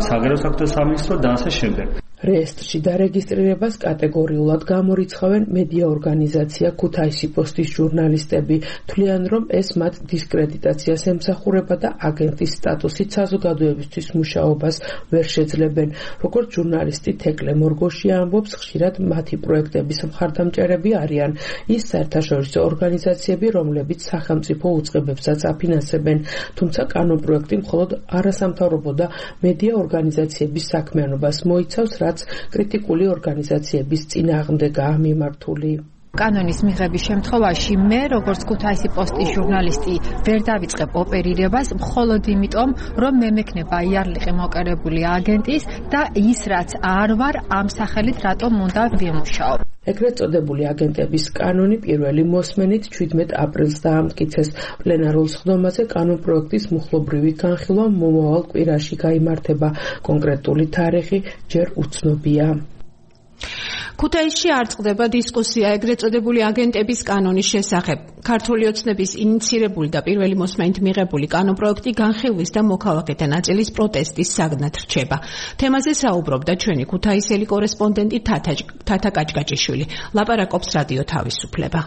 [SPEAKER 11] საგარეო საქმეთა სამინისტრო და ასე შემდეგ.
[SPEAKER 8] რეესტრში დარეგისტრირებას კატეგორიულად გამორიცხავენ მედია ორგანიზაცია ქუთაისი პოსტის ჟურნალისტები, თვლიან, რომ ეს მათ დისკრედიტაციას ემსახურება და აგენტის სტატუსით საზოგადოებისთვის მუშაობას ვერ შეძლებენ. როგორც ჟურნალისტი თეკლე მორგოშია ამბობს, ხშირად მათი პროექტების მხარდამჭერები არიან ის საერთაშორისო ორგანიზაციები, რომლებიც სახელმწიფო უწყებებსაც აფინანსებენ, თუმცა კანონპროექტი მხოლოდ არასამთავრობო და მედია ორგანიზაციების საქმიანობას მოიცავს, რაც კრიტიკული ორგანიზაციების წინააღმდეგაა მიმართული.
[SPEAKER 12] კანონის მიღების შემთხვევაში მე, როგორც ქუთაისი პოსტის ჟურნალისტი, ვერ დავიწყებ ოპერირებას მხოლოდ იმიტომ, რომ მე მექნება იარლიყი მოკერებული აგენტის და ის რაც არ ვარ, ამ სახელით რატომ უნდა ვიმუშაო.
[SPEAKER 8] ეგრეთ წოდებული აგენტების კანონი პირველი მოსმენით 17 აპრილს დაამტკიცეს. პლენარულ სხდომაზე კანონპროექტის მუხლობრივი განხილვა მომავალ კვირაში გაიმართება. კონკრეტული თარიღი ჯერ უცნობია.
[SPEAKER 1] ქუთაისში არ წყდება დისკუსია ეგრეთ წოდებული აგენტების კანონის შესახებ. ქართული ოცნების ინიცირებული და პირველი მოსმენით მიღებული კანონპროექტი განხილვის და მოქალაქეთა ნაწილის პროტესტის საგნად რჩება. თემაზე საუბრობდა ჩვენი ქუთაისელი კორესპონდენტი თათა კაჭკაჭიშვილი. ლაპარაკობს რადიო თავისუფლება.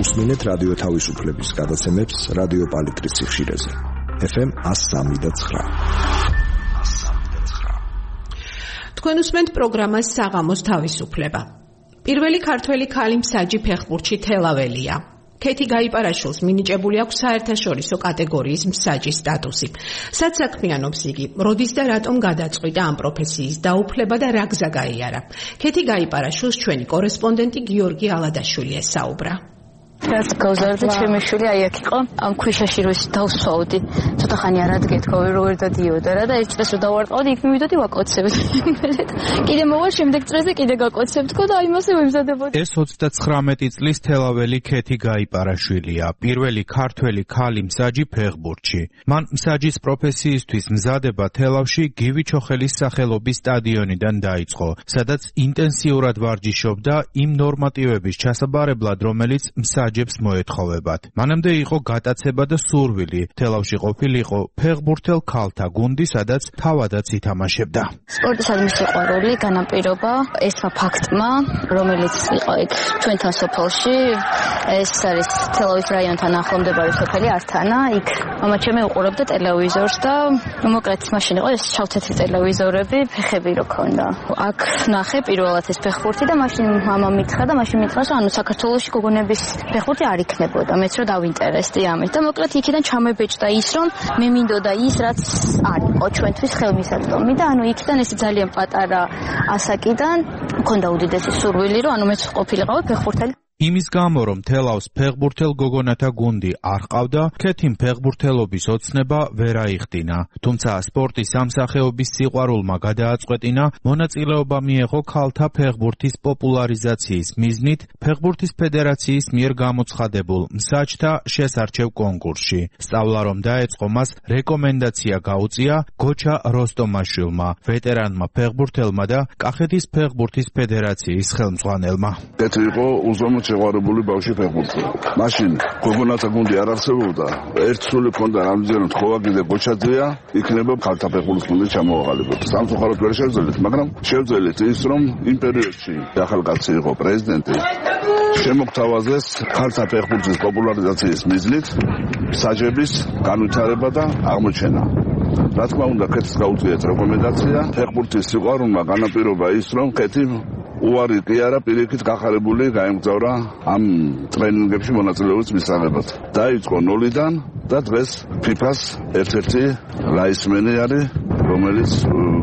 [SPEAKER 7] უსმინეთ რადიო თავისუფლების გადაცემებს რადიო პალიტრის სიხშირეზე. FM 103.9.
[SPEAKER 1] თქვენ უსმენთ პროგრამას საღამოს თავისუფლება. პირველი ქართველი ქალი მსაჯი ფეხბურთში თელაველია. ქეთი გაიპარაშვილს მინიჭებული აქვს საერთაშორისო კატეგორიის მსაჯის სტატუსი. სად საქმიანობს იგი, როდის და რატომ გადაწყვიტა ამ პროფესიის დაუფლება და რა გზა გაიარა. ქეთი გაიპარაშვილს ჩვენი კორესპონდენტი გიორგი ალადაშვილი ესაუბრა.
[SPEAKER 13] რაც გავზარდა ჩემი შვილი აი აქ იყო ამ ქვიშაში რო დავსვავდი ცოტა ხანი არ ადგეთქო როგორ დადიოდა რა და ეს წეს რო დავარტყავდი იქ მივიდოდი ვაკოცებს კიდე მოვა შემდეგ წრეზე კიდე გაკოცებთქო და აი მასე ვემზადებოდი.
[SPEAKER 14] ეს 39 წლის თელაველი ქეთი გაიპარაშვილია, პირველი ქართველი ქალი მსაჯი ფეხბურთში. მან მსაჯის პროფესიისთვის მზადება თელავში გივი ჩოხელის სახელობის სტადიონიდან დაიწყო, სადაც ინტენსიურად ვარჯიშობდა იმ ნორმატივების ჩასაბარებლად, რომელიც მსაჯ მსაჯებს მოეთხოვებათ. მანამდე იყო გატაცება და სურვილი თელავში ყოფილიყო ფეხბურთელ ქალთა გუნდი, სადაც თავადაც ითამაშებდა.
[SPEAKER 13] სპორტისადმი სიყვარული, განაპირობა ესმა ფაქტმა, რომელიც იყო იქ ჩვენთან სოფელში, ეს არის თელავის რაიონთან ახლომდებარე სოფელი ართანა, იქ მამაჩემი უყურებდა ტელევიზორს და მოკლედ მაშინ იყო ეს ჩავთეთრი ტელევიზორები, ფეხები რო ქონდა. აქ ნახე პირველად ეს ფეხბურთი და მაშინ მამა მითხრა და მაშინ მითხრა, ანუ საქართველოში გოგონების ფეხბურთი არ იქნებოდა, მეც რო დავინტერესდი ამით და მოკლედ იქიდან ჩამებეჭდა ის, რომ მე მინდოდა ის, რაც არ იყო ჩვენთვის ხელმისაწვდომი და ანუ იქიდან ეს ძალიან პატარა ასაკიდან მქონდა უდიდესი სურვილი, რომ ანუ მეც ყოფილიყავი ფეხბურთელი.
[SPEAKER 14] იმის გამო, რომ თელავს ფეხბურთელ გოგონათა გუნდი არ ყავდა, ქეთიმ ფეხბურთელობის ოცნება ვერ აიხდინა. თუმცა სპორტის სამსახეობის სიყვარულმა გადააწყვეტინა, მონაწილეობა მიეღო ქალთა ფეხბურთის პოპულარიზაციის მიზნით ფეხბურთის ფედერაციის მიერ გამოცხადებულ მსაჯთა შესარჩევ კონკურსში. სწავლა რომ დაეწყო, მას რეკომენდაცია გაუწია გოჩა როსტომაშვილმა, ვეტერანმა ფეხბურთელმა და კახეთის ფეხბურთის ფედერაციის ხელმძღვანელმა.
[SPEAKER 15] შეყვარებული ბავშვი ფეხბურთი. მაშინ გოგონათა გუნდი არ არსებობდა. ერთ სული ქონდა რამდენად ხოვაგი და გოჩაძეა, იქნება ქალთა ფეხბურთის გუნდი ჩამოაყალიბოთ. სამწუხაროდ ვერ შევძელით, მაგრამ შევძელით ის, რომ იმ პერიოდში ახალგაზრდა იყო პრეზიდენტი. შემოგთავაზეს ქალთა ფეხბურთის პოპულარიზაციის მიზნით მსაჯების განვითარება და აღმოჩენა. რა თქმა უნდა, ქეთს გაუწიეთ რეკომენდაცია. ფეხბურთის სიყვარულმა განაპირობა ის, რომ ქეთი უარი კი არა, პირიქით გახარებული გაემგზავრა ამ ტრენინგებში მონაწილეობის მისაღებად. დაიწყო ნულიდან და დღეს FIFA-ს ერთ-ერთი რაისმენი არის, რომელიც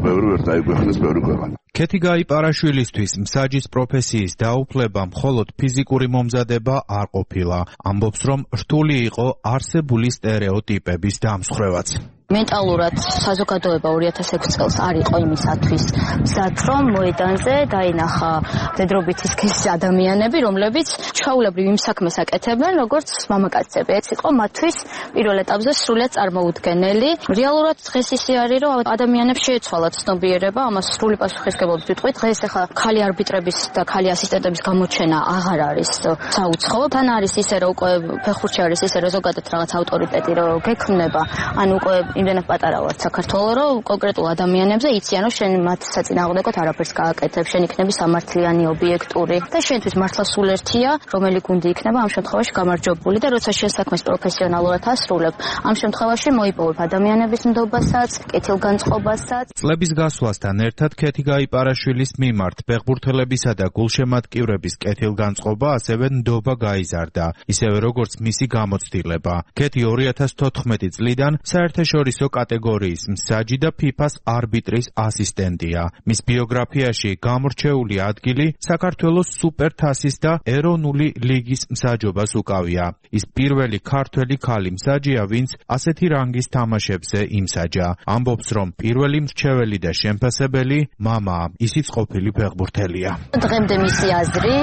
[SPEAKER 15] ბევრი ვერ დაიგვეხნეს ბევრი ქვეყანა.
[SPEAKER 14] ქეთი გაიპარაშვილისთვის მსაჯის პროფესიის დაუფლება მხოლოდ ფიზიკური მომზადება არ ყოფილა. ამბობს, რომ რთული იყო არსებული სტერეოტიპების დამსხვრევაც.
[SPEAKER 13] მენტალურად საზოგადოება 2006 წელს არ იყო იმისათვის მზად, რომ მოედანზე დაინახა მდედრობითი სქესის ადამიანები, რომლებიც ჩვეულებრივ იმ საქმეს აკეთებენ, როგორც მამაკაცები. ეს იყო მათთვის პირველ ეტაპზე სრულიად წარმოუდგენელი. რეალურად დღეს ისე არის, რომ ადამიანებს შეეცვალათ ცნობიერება, ამას სრული პასუხისმგებლობით ვიტყვით. დღეს ახლა ქალი არბიტრების და ქალი ასისტენტების გამოჩენა აღარ არის საუცხოო. თან არის ისე, რომ უკვე ფეხბურთში არის ისე, რომ ზოგადად რაღაც ავტორიტეტი რო გექმნება, ანუ უკვე იმდენად პატარა ვარ საქართველოს, რომ კონკრეტულ ადამიანებზე იციან, რომ შენ მათ საწინააღმდეგოდ არაფერს გააკეთებ, შენ იქნები სამართლიანი ობიექტური და შენთვის მართლა სულ ერთია, რომელი გუნდი იქნება ამ შემთხვევაში გამარჯვებული და როცა შენ საქმეს პროფესიონალურად ასრულებ, ამ შემთხვევაში მოიპოვებ ადამიანების ნდობასაც, კეთილგანწყობასაც.
[SPEAKER 14] წლების გასვლასთან ერთად ქეთი გაიპარაშვილის მიმართ ფეხბურთელებისა და გულშემატკივრების კეთილგანწყობა ასევე ნდობა გაიზარდა, ისევე როგორც მისი გამოცდილება. ქეთი 2014 წლიდან საერთაშორისო კატეგორიის მსაჯი და FIFA-ს არბიტრის ასისტენტია. მის ბიოგრაფიაში გამორჩეული ადგილი საქართველოს სუპერთასის და ეროვნული ლიგის მსაჯობას უკავია. ის პირველი ქართველი ქალი მსაჯია, ვინც ასეთი რანგის თამაშებზე იმსაჯა. ამბობს, რომ პირველი მრჩეველი და შემფასებელი მამაა, ისიც ყოფილი ფეხბურთელია.
[SPEAKER 13] დღემდე მისი აზრი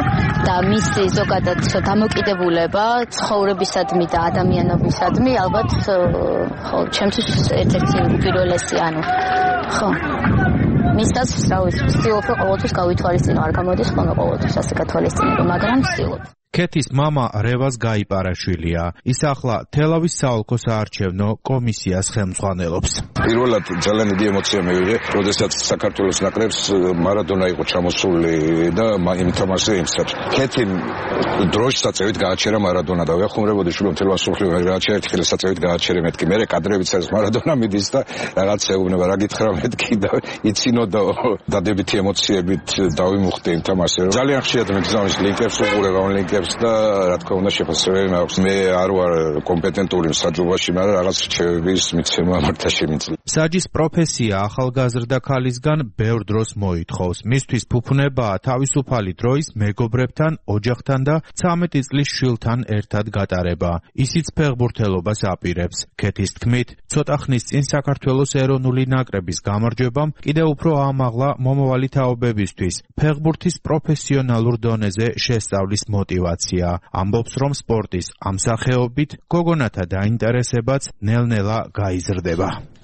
[SPEAKER 13] და მისი ზოგადად დამოკიდებულება ცხოვრებისადმი და ადამიანობისადმი ალბათ ხო ჩემთვის ერთ-ერთი უპირველესი, ანუ ხო მისაც რა ვიცი, ვცდილობ რომ ყოველთვის გავითვალისწინო, არ გამოდის ხოლმე ყოველთვის ასე გათვალისწინება, მაგრამ ვცდილობ.
[SPEAKER 14] ქეთის მამა რევაზ გაიპარაშვილია. ის ახლა თელავის საოლქო საარჩევნო კომისიას ხელმძღვანელობს.
[SPEAKER 16] პირველად ძალიან დიდი ემოცია მივიღე, როდესაც საქართველოს ნაკრებს მარადონა იყო ჩამოსული და იმთამაშე იმსაც. ქეთიმ დროშის საწევით გააჩერა მარადონა და ვეხუმრებოდი შუბლო მთელ მსოფლიო გააჩერა ერთხელ საწევით გააჩერე მეთქი. მე კადრებიც ეს მარადონა მიდის და რაღაც ეუბნება რა გითხრა მეთქი და იცინო და დადებითი ემოციებით დავიმუხტე იმთამაშე. ძალიან ხშირად მიგზავნის ლინკებს უყურებ ლინკებს და რა თქმა უნდა შეფასებები მაქვს. მე არ ვარ კომპეტენტური მსაჯობაში, მაგრამ რაღაც რჩევების მიცემა მართა შემიძლია.
[SPEAKER 14] მსაჯის პროფესია ახალგაზრდა ქალისგან ბევრ დროს მოითხოვს. მისთვის ფუფუნებაა თავისუფალი დროის მეგობრებთან, ოჯახთან და 13 წლის შვილთან ერთად გატარება. ისიც ფეხბურთელობას აპირებს. ქეთის თქმით, ცოტა ხნის წინ საქართველოს ეროვნული ნაკრების გამარჯვებამ კიდევ უფრო აამაღლა მომავალი თაობებისთვის ფეხბურთის პროფესიონალურ დონეზე შესწავლის мотивация. ამბობს, რომ სპორტის ამ სახეობით გოგონათა დაინტერესებაც ნელ-ნელა გაიზრდება.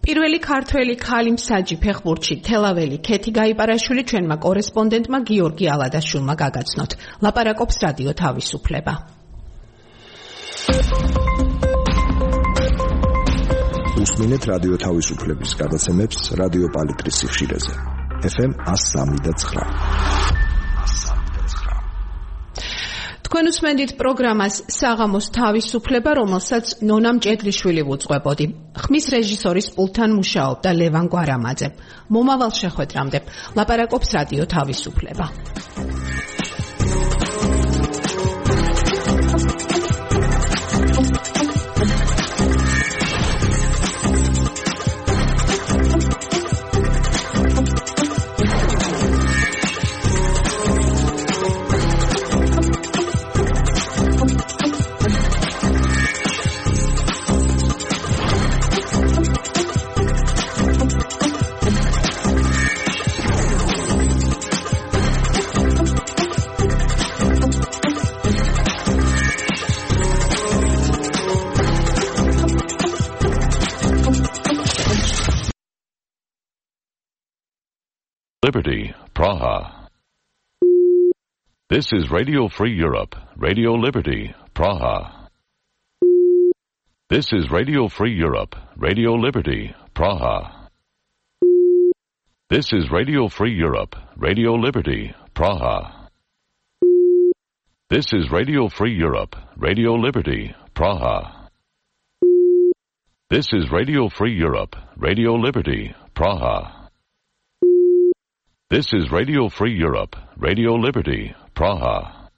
[SPEAKER 1] პირველი ქართველი ქალი მსაჯი ფეხბურთში თელაველი ქეთი გაიპარაშვილი ჩვენმა კორესპონდენტმა გიორგი ალადაშვილმა გაგაცნოთ. ლაპარაკობს რადიო თავისუფლება.
[SPEAKER 7] უსმინეთ რადიო თავისუფლების გადაცემებს რადიო პალიტრის სიხშირეზე. FM 103.9.
[SPEAKER 1] თქვენ უსმენთ პროგრამას საღამოს თავისუფლება, რომელსაც ნონა მჭედლიშვილი უძღვებოდი. ხმის რეჟისორის პულტთან მუშაობდა ლევან გვარამაძე. მომავალ შეხვედრამდე ლაპარაკობს რადიო თავისუფლება.
[SPEAKER 17] Liberty, Praha. This is Radio Free Europe, Radio Liberty, Praha. This is Radio Free Europe, Radio Liberty, Praha. This is Radio Free Europe, Radio Liberty, Praha. This is Radio Free Europe, Radio Liberty, Praha. This is Radio Free Europe, Radio Liberty, Praha. This is Radio Free Europe, Radio Liberty, Praha.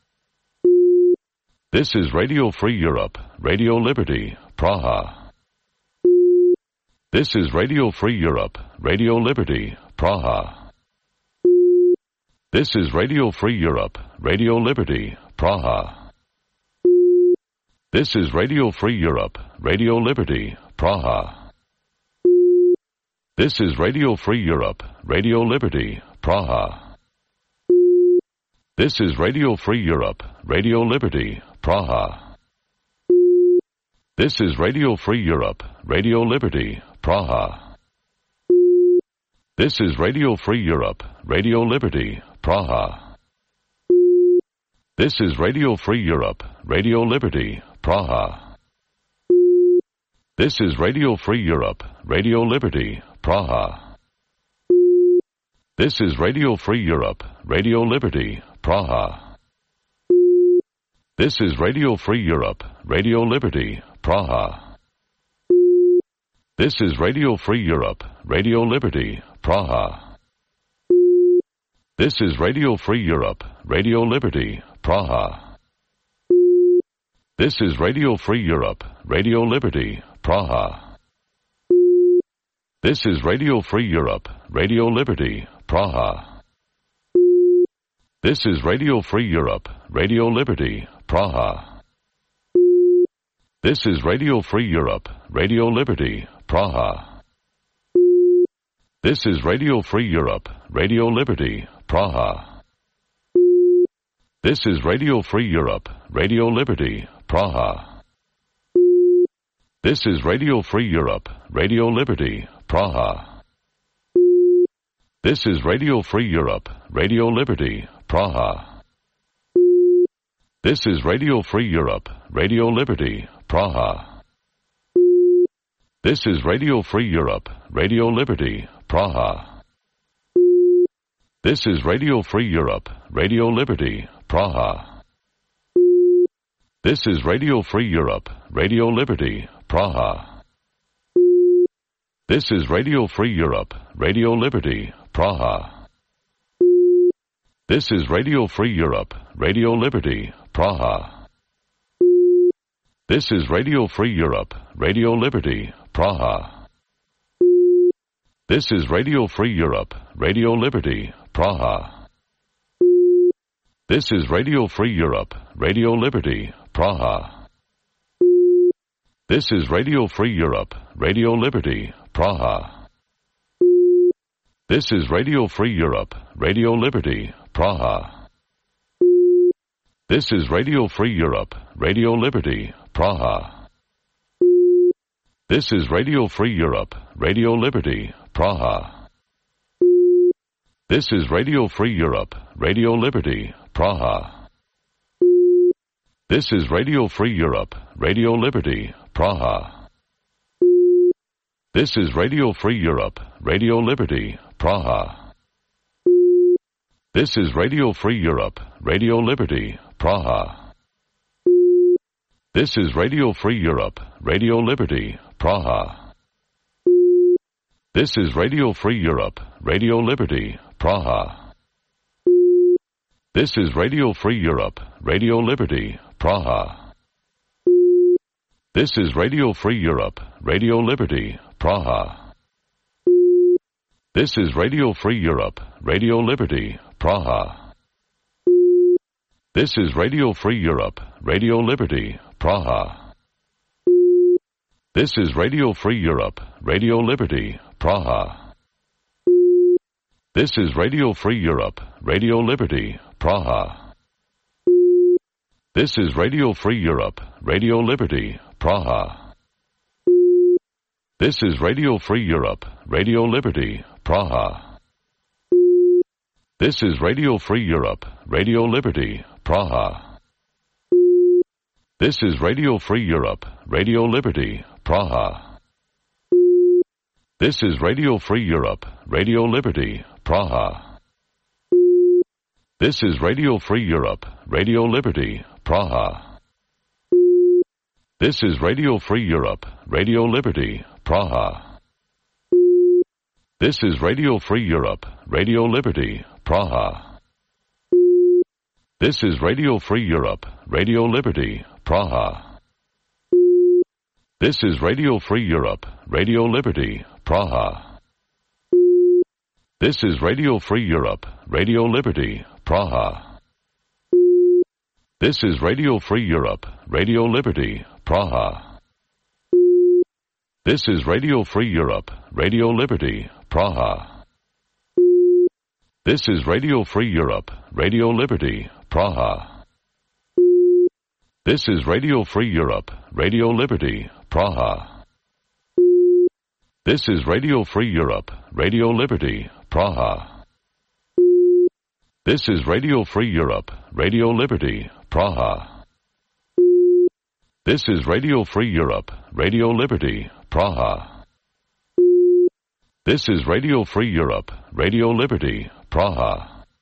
[SPEAKER 17] This is Radio Free Europe, Radio Liberty, Praha. This is Radio Free Europe, Radio Liberty, Praha. This is Radio Free Europe, Radio Liberty, Praha. This is Radio Free Europe, Radio Liberty, Praha. This is Radio Free Europe, Radio Liberty, Praha. This is Radio Free Europe, Radio Liberty, Praha. This is Radio Free Europe, Radio Liberty, Praha. This is Radio Free Europe, Radio Liberty, Praha. This is Radio Free Europe, Radio Liberty, Praha. This is Radio Free Europe, Radio Liberty, Praha. This is Radio Free Europe, Radio Liberty, Praha. This is Radio Free Europe, Radio Liberty, Praha. This is Radio Free Europe, Radio Liberty, Praha. This is Radio Free Europe, Radio Liberty, Praha. This is Radio Free Europe, Radio Liberty, Praha. This is Radio Free Europe, Radio Liberty, Praha. This is Radio Free Europe, Radio Liberty, Praha. This is Radio Free Europe, Radio Liberty, Praha. This is Radio Free Europe, Radio Liberty, Praha. This is Radio Free Europe, Radio Liberty, Praha. This is Radio Free Europe, Radio Liberty, Praha. This is Radio Free Europe, Radio Liberty, Praha. This is Radio Free Europe, Radio Liberty, Praha. This is Radio Free Europe, Radio Liberty, Praha. This is Radio Free Europe, Radio Liberty, Praha. This is Radio Free Europe, Radio Liberty, Praha. This is Radio Free Europe, Radio Liberty, Praha. This is Radio Free Europe, Radio Liberty, Praha. This is Radio Free Europe, Radio Liberty, Praha. This is Radio Free Europe, Radio Liberty, Praha. This is Radio Free Europe, Radio Liberty, Praha. This is Radio Free Europe, Radio Liberty, Praha. This is Radio Free Europe, Radio Liberty, Praha. This is Radio Free Europe, Radio Liberty, Praha. This is Radio Free Europe, Radio Liberty, Praha. This is Radio Free Europe, Radio Liberty, Praha. This is Radio Free Europe, Radio Liberty, Praha. This is Radio Free Europe, Radio Liberty, Praha. This is Radio Free Europe, Radio Liberty, Praha. This is Radio Free Europe, Radio Liberty, Praha. This is Radio Free Europe, Radio Liberty, Praha. This is Radio Free Europe, Radio Liberty, Praha. This is Radio Free Europe, Radio Liberty, Praha. This is Radio Free Europe, Radio Liberty, Praha. This is Radio Free Europe, Radio Liberty, Praha. This is Radio Free Europe, Radio Liberty, Praha. This is Radio Free Europe, Radio Liberty, Praha. This is Radio Free Europe, Radio Liberty, Praha. This is Radio Free Europe, Radio Liberty, Praha. This is Radio Free Europe, Radio Liberty, Praha. This is Radio Free Europe, Radio Liberty, Praha. This is Radio Free Europe, Radio Liberty, Praha. This is Radio Free Europe, Radio Liberty, Praha. This is Radio Free Europe, Radio Liberty, Praha. This is Radio Free Europe, Radio Liberty, Praha. This is Radio Free Europe, Radio Liberty, Praha. This is Radio Free Europe, Radio Liberty, Praha. This is Radio Free Europe, Radio Liberty, Praha. This is Radio Free Europe, Radio Liberty, Praha. This is Radio Free Europe, Radio Liberty, Praha. This is Radio Free Europe, Radio Liberty, Praha. This is Radio Free Europe, Radio Liberty, Praha. This is Radio Free Europe, Radio Liberty, Praha. This is Radio Free Europe, Radio Liberty, Praha. This is Radio Free Europe, Radio Liberty, Praha. This is Radio Free Europe, Radio Liberty, Praha.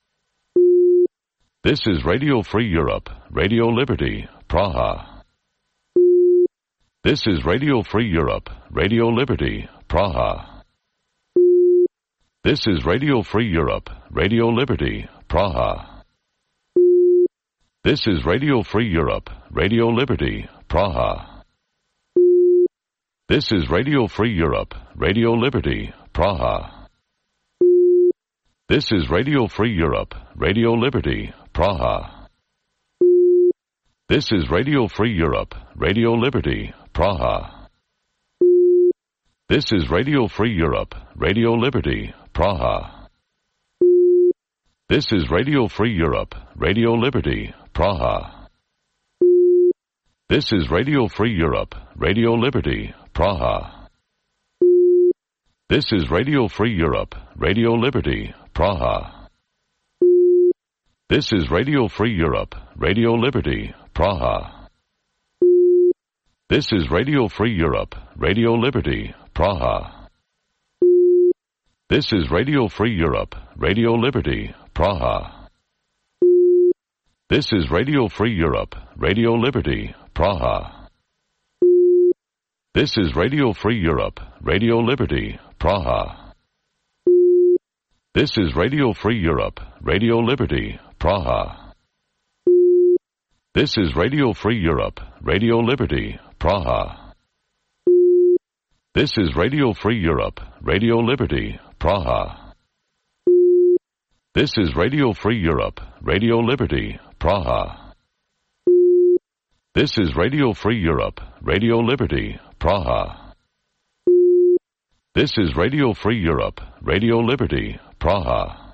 [SPEAKER 17] This is Radio Free Europe, Radio Liberty, Praha. This is Radio Free Europe, Radio Liberty, Praha. This is Radio Free Europe, Radio Liberty, Praha. This is Radio Free Europe, Radio Liberty, Praha. This is Radio Free Europe, Radio Liberty, Praha. This is Radio Free Europe, Radio Liberty, Praha. This is Radio Free Europe, Radio Liberty, Praha. This is Radio Free Europe, Radio Liberty, Praha. This is Radio Free Europe, Radio Liberty, Praha. This is Radio Free Europe, Radio Liberty, Praha. This is Radio Free Europe, Radio Liberty, Praha. This is Radio Free Europe, Radio Liberty, Praha. This is Radio Free Europe, Radio Liberty, Praha. This is Radio Free Europe, Radio Liberty, Praha. This is Radio Free Europe, Radio Liberty, Praha. This is Radio Free Europe, Radio Liberty, Praha. This is Radio Free Europe, Radio Liberty, Praha. This is Radio Free Europe, Radio Liberty, Praha. This is Radio Free Europe, Radio Liberty, Praha. This is Radio Free Europe, Radio Liberty, Praha. This is Radio Free Europe, Radio Liberty, Praha. This is Radio Free Europe, Radio Liberty, Praha.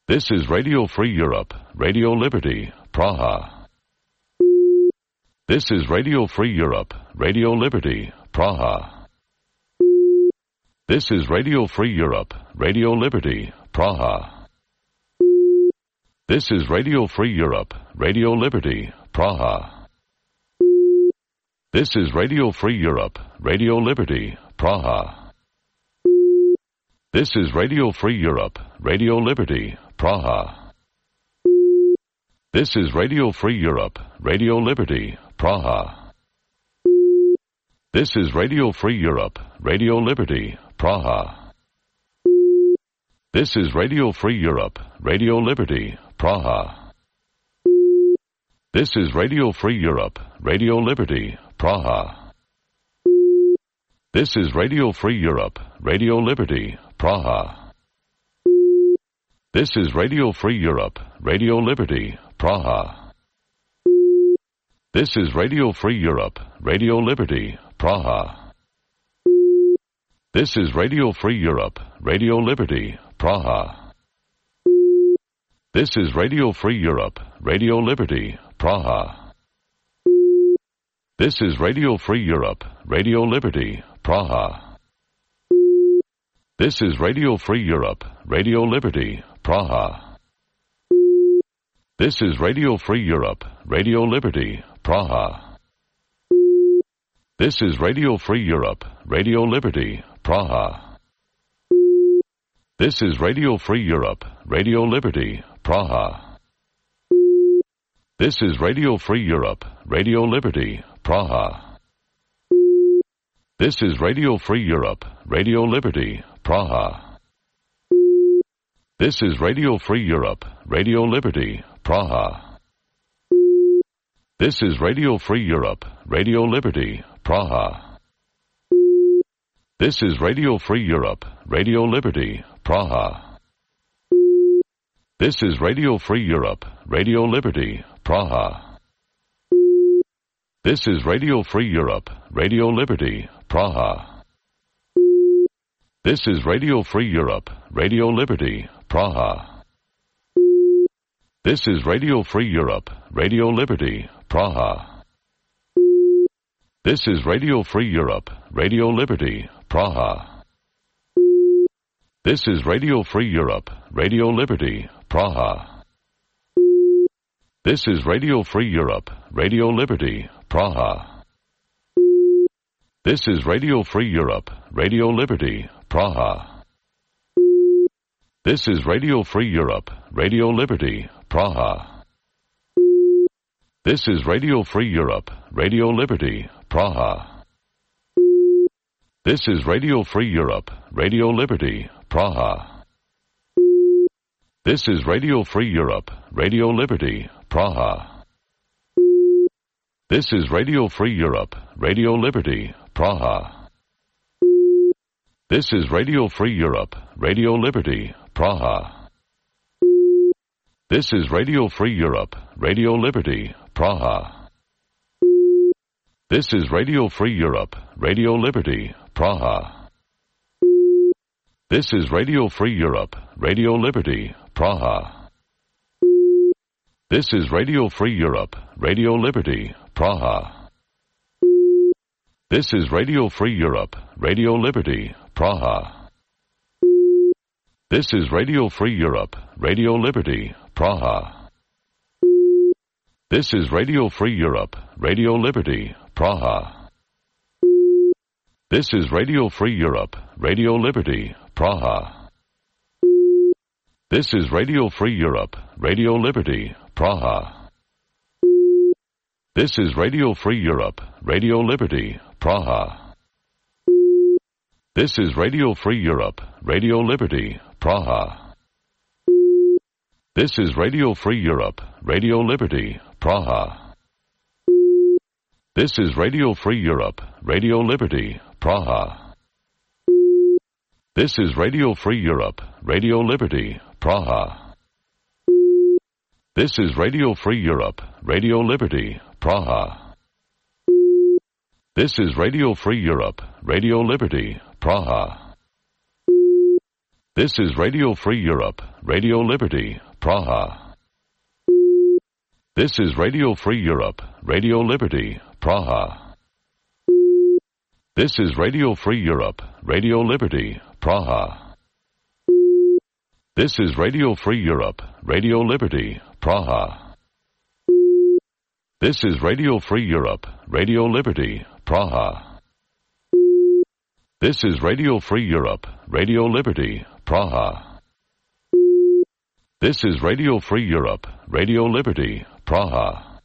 [SPEAKER 17] This is Radio Free Europe, Radio Liberty, Praha. This is Radio Free Europe, Radio Liberty, Praha. This is Radio Free Europe, Radio Liberty, Praha. This is Radio Free Europe, Radio Liberty, Praha. This is Radio Free Europe, Radio Liberty, Praha. This is Radio Free Europe, Radio Liberty, Praha. This is Radio Free Europe, Radio Liberty, Praha. This is Radio Free Europe, Radio Liberty, Praha. This is Radio Free Europe, Radio Liberty, Praha. This is Radio Free Europe, Radio Liberty, Praha. This is Radio Free Europe, Radio Liberty, Praha. This is Radio Free Europe, Radio Liberty, Praha. This is Radio Free Europe, Radio Liberty, Praha. This is Radio Free Europe, Radio Liberty, Praha. This is Radio Free Europe, Radio Liberty, Praha. This is Radio Free Europe, Radio Liberty, Praha. This is Radio Free Europe, Radio Liberty, Praha. This is Radio Free Europe, Radio Liberty, Praha. This is Radio Free Europe, Radio Liberty, Praha. This is Radio Free Europe, Radio Liberty, Praha. This is Radio Free Europe, Radio Liberty, Praha. This is Radio Free Europe, Radio Liberty, Praha. This is Radio Free Europe, Radio Liberty, Praha. This is Radio Free Europe, Radio Liberty, Praha. This is Radio Free Europe, Radio Liberty, Praha. This is Radio Free Europe, Radio Liberty, Praha. This is Radio Free Europe, Radio Liberty, Praha. This is Radio Free Europe, Radio Liberty, Praha. This is Radio Free Europe, Radio Liberty, Praha. This is Radio Free Europe, Radio Liberty, Praha. This is Radio Free Europe, Radio Liberty, Praha. This is Radio Free Europe, Radio Liberty, Praha. This is Radio Free Europe, Radio Liberty, Praha. This is Radio Free Europe, Radio Liberty, Praha. This is Radio Free Europe, Radio Liberty, Praha. This is Radio Free Europe, Radio Liberty, Praha. This is Radio Free Europe, Radio Liberty, Praha. This is Radio Free Europe, Radio Liberty, Praha. This is Radio Free Europe, Radio Liberty, Praha. This is Radio Free Europe, Radio Liberty, Praha. This is Radio Free Europe, Radio Liberty, Praha. This is Radio Free Europe, Radio Liberty, Praha. This is Radio Free Europe, Radio Liberty, Praha. This is Radio Free Europe, Radio Liberty, Praha. This is Radio Free Europe, Radio Liberty, Praha. This is Radio Free Europe, Radio Liberty, Praha. This is Radio Free Europe, Radio Liberty, Praha. This is Radio Free Europe, Radio Liberty, Praha. This is Radio Free Europe, Radio Liberty, Praha. This is Radio Free Europe, Radio Liberty, Praha. This is Radio Free Europe, Radio Liberty, Praha. This is Radio Free Europe, Radio Liberty, Praha. This is Radio Free Europe, Radio Liberty, Praha. This is Radio Free Europe, Radio Liberty, Praha. This is Radio Free Europe, Radio Liberty, Praha. This is Radio Free Europe, Radio Liberty, Praha. This is Radio Free Europe, Radio Liberty, Praha. This is Radio Free Europe, Radio Liberty, Praha. This is Radio Free Europe, Radio Liberty, Praha. This is Radio Free Europe, Radio Liberty, Praha. This is Radio Free Europe, Radio Liberty, Praha. This is Radio Free Europe, Radio Liberty, Praha.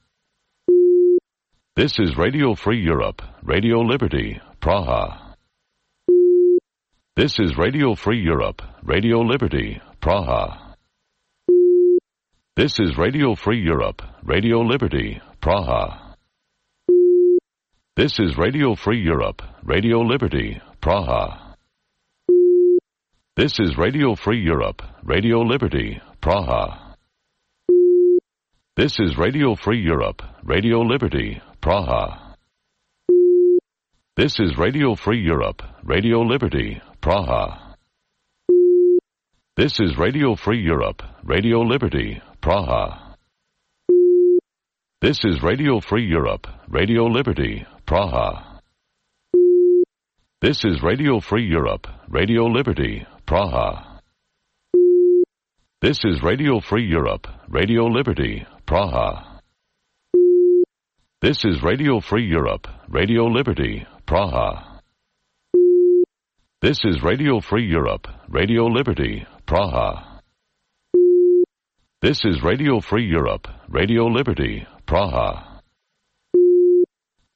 [SPEAKER 17] This is Radio Free Europe, Radio Liberty, Praha. This is Radio Free Europe, Radio Liberty, Praha. This is Radio Free Europe, Radio Liberty, Praha. This is Radio Free Europe, Radio Liberty, Praha. This is Radio Free Europe, Radio Liberty, Praha. This is Radio Free Europe, Radio Liberty, Praha. This is Radio Free Europe, Radio Liberty, Praha. This is Radio Free Europe, Radio Liberty, Praha. This is Radio Free Europe, Radio Liberty, Praha. This is Radio Free Europe, Radio Liberty, Praha. This is Radio Free Europe, Radio Liberty, Praha. This is Radio Free Europe, Radio Liberty, Praha. This is Radio Free Europe, Radio Liberty, Praha. This is Radio Free Europe, Radio Liberty, Praha.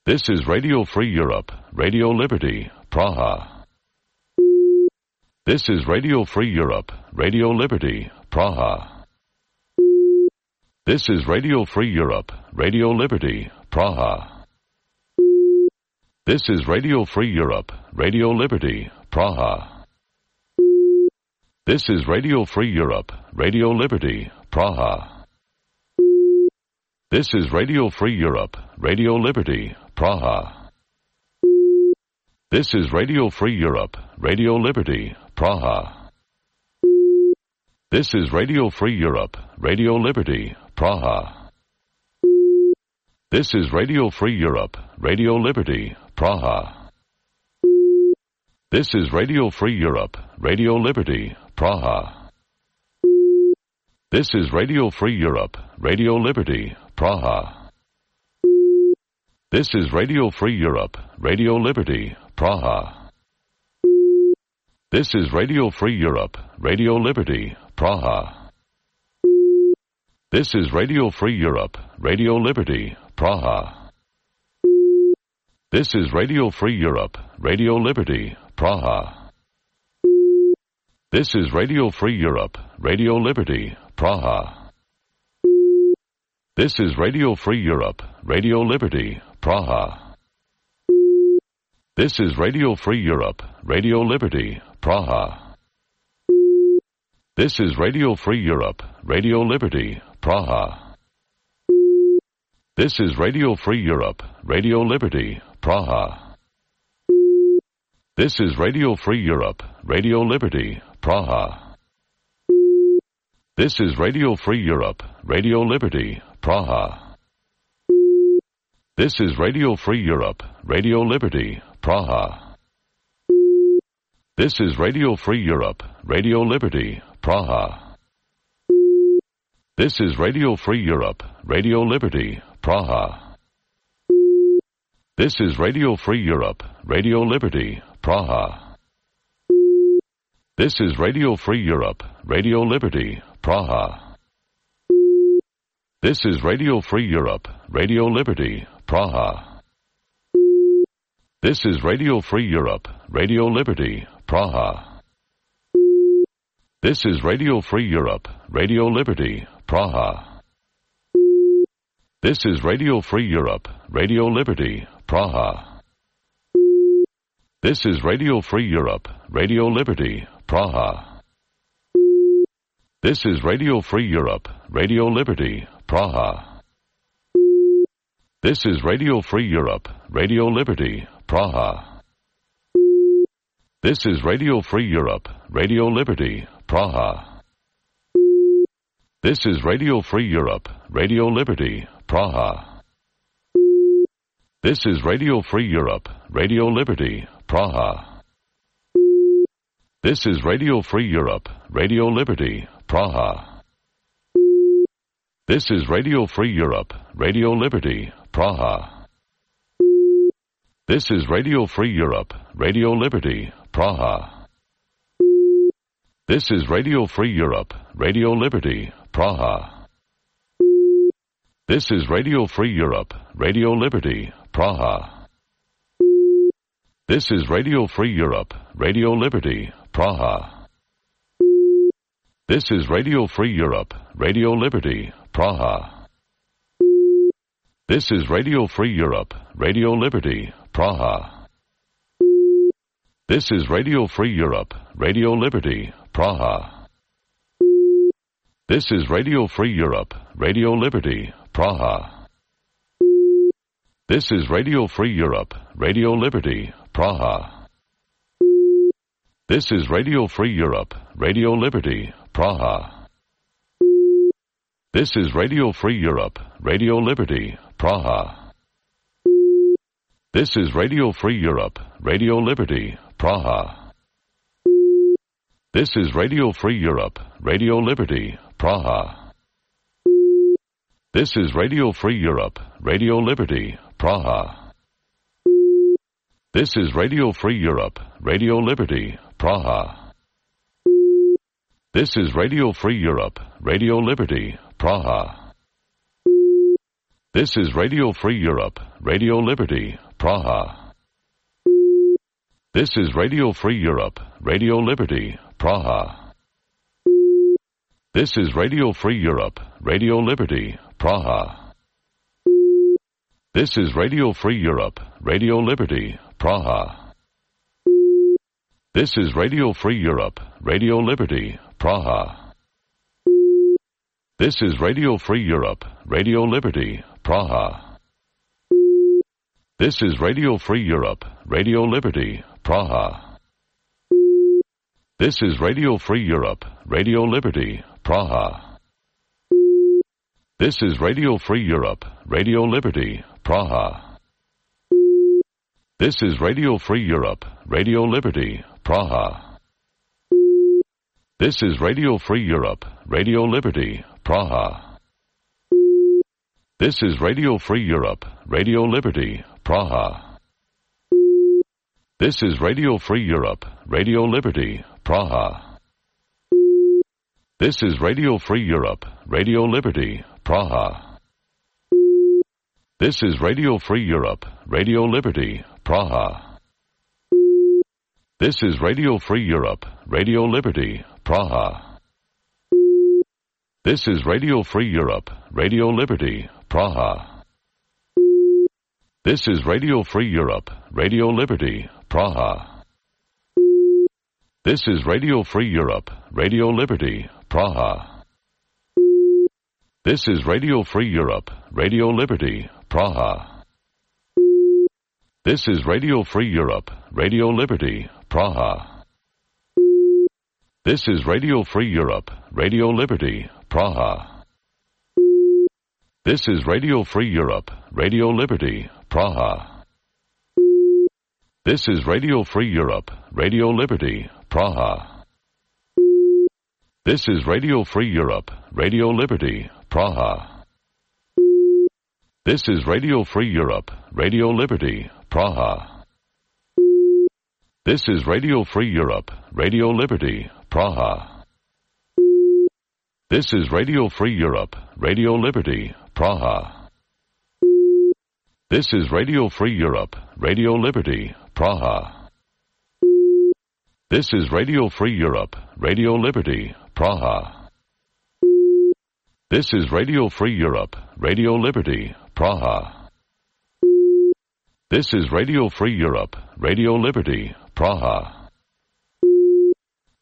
[SPEAKER 17] This is Radio Free Europe, Radio Liberty, Praha. This is Radio Free Europe, Radio Liberty, Praha. This is Radio Free Europe, Radio Liberty, Praha. This is Radio Free Europe, Radio Liberty, Praha. This is Radio Free Europe, Radio Liberty, Praha. This is Radio Free Europe, Radio Liberty, Praha. This is Radio Free Europe, Radio Liberty, Praha. This is Radio Free Europe, Radio Liberty, Praha. This is Radio Free Europe, Radio Liberty, Praha. This is Radio Free Europe, Radio Liberty, Praha. This is Radio Free Europe, Radio Liberty, Praha. This is Radio Free Europe, Radio Liberty, Praha. This is Radio Free Europe, Radio Liberty, Praha. This is Radio Free Europe, Radio Liberty, Praha. This is Radio Free Europe, Radio Liberty, Praha. This is Radio Free Europe, Radio Liberty, Praha. This is Radio Free Europe, Radio Liberty, Praha. This is Radio Free Europe, Radio Liberty, Praha. This is Radio Free Europe, Radio Liberty, Praha. This is Radio Free Europe, Radio Liberty, Praha. This is Radio Free Europe, Radio Liberty, Praha. This is Radio Free Europe, Radio Liberty, Praha. This is Radio Free Europe, Radio Liberty, Praha. This is Radio Free Europe, Radio Liberty, Praha. This is Radio Free Europe, Radio Liberty, Praha. This is Radio Free Europe, Radio Liberty, Praha. This is Radio Free Europe, Radio Liberty, Praha. This is Radio Free Europe, Radio Liberty, Praha. This is Radio Free Europe, Radio Liberty, Praha. This is Radio Free Europe, Radio Liberty, Praha. This is Radio Free Europe, Radio Liberty, Praha. This is Radio Free Europe, Radio Liberty, Praha. This is Radio Free Europe, Radio Liberty, Praha. This is Radio Free Europe, Radio Liberty, Praha. This is Radio Free Europe, Radio Liberty, Praha. This is Radio Free Europe, Radio Liberty, Praha. This is Radio Free Europe, Radio Liberty, Praha. This is Radio Free Europe, Radio Liberty, Praha. This is Radio Free Europe, Radio Liberty, Praha. This is Radio Free Europe, Radio Liberty, Praha. This is Radio Free Europe, Radio Liberty, Praha. This is Radio Free Europe, Radio Liberty, Praha. This is Radio Free Europe, Radio Liberty, Praha. This is Radio Free Europe, Radio Liberty, Praha. This is Radio Free Europe, Radio Liberty, Praha. This is Radio Free Europe, Radio Liberty, Praha. This is Radio Free Europe, Radio Liberty, Praha. This is Radio Free Europe, Radio Liberty, Praha. This is Radio Free Europe, Radio Liberty, Praha. This is Radio Free Europe, Radio Liberty, Praha. This is Radio Free Europe, Radio Liberty, Praha. This is Radio Free Europe, Radio Liberty, Praha. This is Radio Free Europe, Radio Liberty, Praha. This is Radio Free Europe, Radio Liberty, Praha. This is Radio Free Europe, Radio Liberty, Praha. This is Radio Free Europe, Radio Liberty, Praha. This is Radio Free Europe, Radio Liberty, Praha. This is Radio Free Europe, Radio Liberty, Praha. This is Radio Free Europe, Radio Liberty, Praha. This is Radio Free Europe, Radio Liberty, Praha. This is Radio Free Europe, Radio Liberty, Praha. This is Radio Free Europe, Radio Liberty, Praha. This is Radio Free Europe, Radio Liberty, Praha. This is Radio Free Europe, Radio Liberty, Praha. This is Radio Free Europe, Radio Liberty, Praha. This is Radio Free Europe, Radio Liberty, Praha. This is Radio Free Europe, Radio Liberty, Praha. This is Radio Free Europe, Radio Liberty, Praha. This is Radio Free Europe, Radio Liberty, Praha. This is Radio Free Europe, Radio Liberty, Praha. This is Radio Free Europe, Radio Liberty, Praha. This is Radio Free Europe, Radio Liberty, Praha. This is Radio Free Europe, Radio Liberty, Praha. This is Radio Free Europe, Radio Liberty, Praha. This is Radio Free Europe, Radio Liberty, Praha. This is Radio Free Europe, Radio Liberty, Praha. This is Radio Free Europe, Radio Liberty, Praha. This is Radio Free Europe, Radio Liberty, Praha. This is Radio Free Europe, Radio Liberty, Praha. This is Radio Free Europe, Radio Liberty, Praha. This is Radio Free Europe, Radio Liberty, Praha. This is Radio Free Europe, Radio Liberty, Praha. This is Radio Free Europe, Radio Liberty, Praha. This is Radio Free Europe, Radio Liberty, Praha. This is Radio Free Europe, Radio Liberty, Praha. This is Radio Free Europe, Radio Liberty, Praha. This is Radio Free Europe, Radio Liberty, Praha.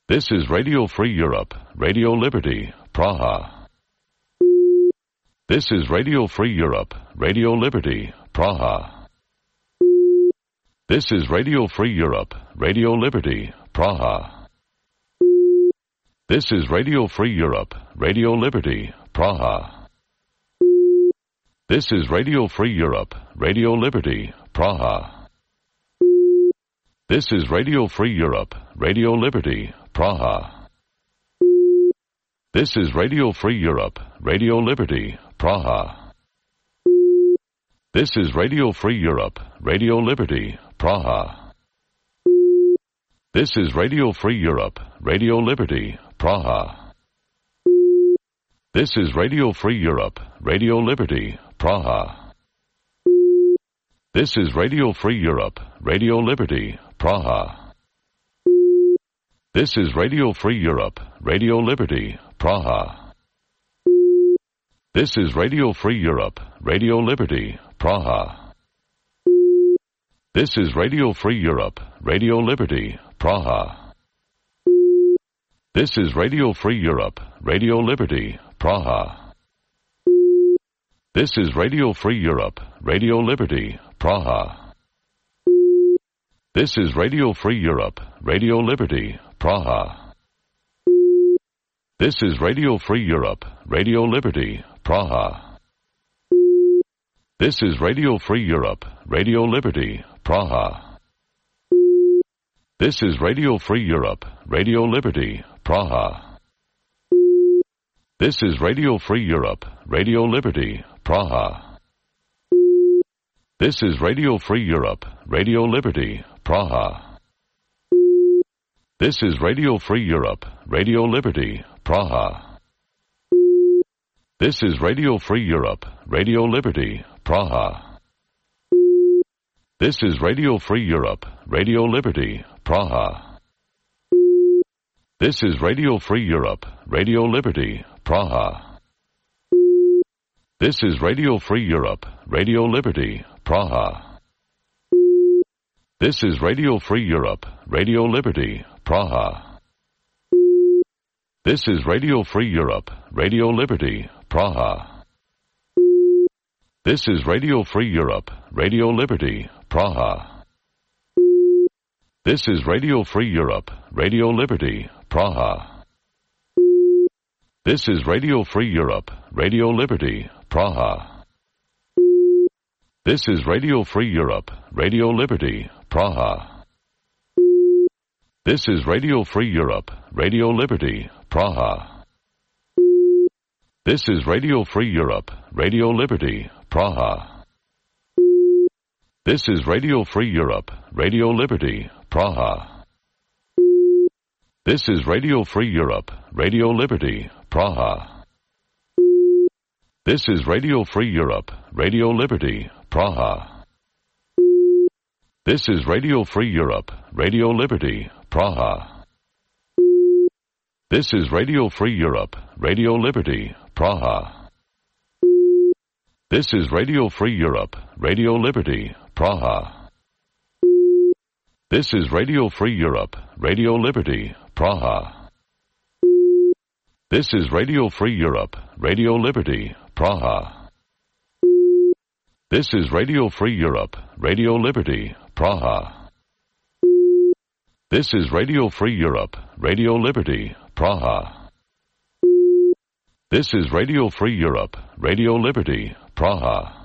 [SPEAKER 17] This is Radio Free Europe, Radio Liberty, Praha. This is Radio Free Europe, Radio Liberty, Praha. This is Radio Free Europe, Radio Liberty, Praha. This is Radio Free Europe, Radio Liberty, Praha. This is Radio Free Europe, Radio Liberty, Praha. This is Radio Free Europe, Radio Liberty, Praha. This is Radio Free Europe, Radio Liberty, Praha. This is Radio Free Europe, Radio Liberty, Praha. This is Radio Free Europe, Radio Liberty, Praha. This is Radio Free Europe, Radio Liberty, Praha. This is Radio Free Europe, Radio Liberty, Praha. This is Radio Free Europe, Radio Liberty, Praha. This is Radio Free Europe, Radio Liberty, Praha. This is Radio Free Europe, Radio Liberty, Praha. This is Radio Free Europe, Radio Liberty, Praha. This is Radio Free Europe, Radio Liberty, Praha. This is Radio Free Europe, Radio Liberty, Praha. This is Radio Free Europe, Radio Liberty, Praha. This is Radio Free Europe, Radio Liberty, Praha. This is Radio Free Europe, Radio Liberty, Praha. This is Radio Free Europe, Radio Liberty, Praha. This is Radio Free Europe, Radio Liberty, Praha. This is Radio Free Europe, Radio Liberty, Praha. This is Radio Free Europe, Radio Liberty, Praha. This is Radio Free Europe, Radio Liberty, Praha. This is Radio Free Europe, Radio Liberty, Praha. This is Radio Free Europe, Radio Liberty, Praha. This is Radio Free Europe, Radio Liberty, Praha. This is Radio Free Europe, Radio Liberty, Praha. This is Radio Free Europe, Radio Liberty, Praha. This is Radio Free Europe, Radio Liberty, Praha. This is Radio Free Europe, Radio Liberty, Praha. This is Radio Free Europe, Radio Liberty, Praha. This is Radio Free Europe, Radio Liberty, Praha. This is Radio Free Europe, Radio Liberty, Praha. This is Radio Free Europe, Radio Liberty, Praha. This is Radio Free Europe, Radio Liberty, Praha. This is Radio Free Europe, Radio Liberty, Praha. This is Radio Free Europe, Radio Liberty, Praha. This is Radio Free Europe, Radio Liberty, Praha. This is Radio Free Europe, Radio Liberty, Praha. This is Radio Free Europe, Radio Liberty, Praha. This is Radio Free Europe, Radio Liberty, Praha. This is Radio Free Europe, Radio Liberty, Praha. This is Radio Free Europe, Radio Liberty, Praha. This is Radio Free Europe, Radio Liberty, Praha.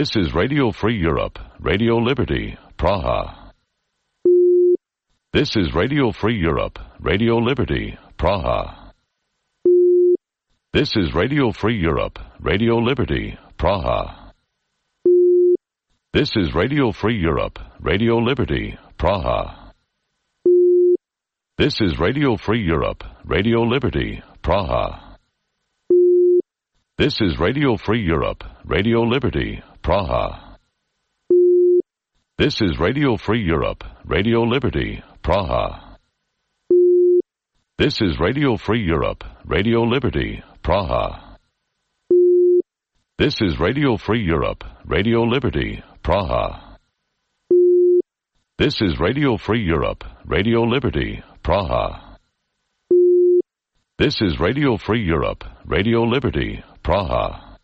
[SPEAKER 17] This is Radio Free Europe, Radio Liberty, Praha. This is Radio Free Europe, Radio Liberty, Praha. This is Radio Free Europe, Radio Liberty, Praha. This is Radio Free Europe, Radio Liberty, Praha. This is Radio Free Europe, Radio Liberty, Praha. This is Radio Free Europe, Radio Liberty, Praha. This is Radio Free Europe, Radio Liberty, Praha. This is Radio Free Europe, Radio Liberty, Praha. This is Radio Free Europe, Radio Liberty, Praha. This is Radio Free Europe, Radio Liberty, Praha. This is Radio Free Europe, Radio Liberty, Praha.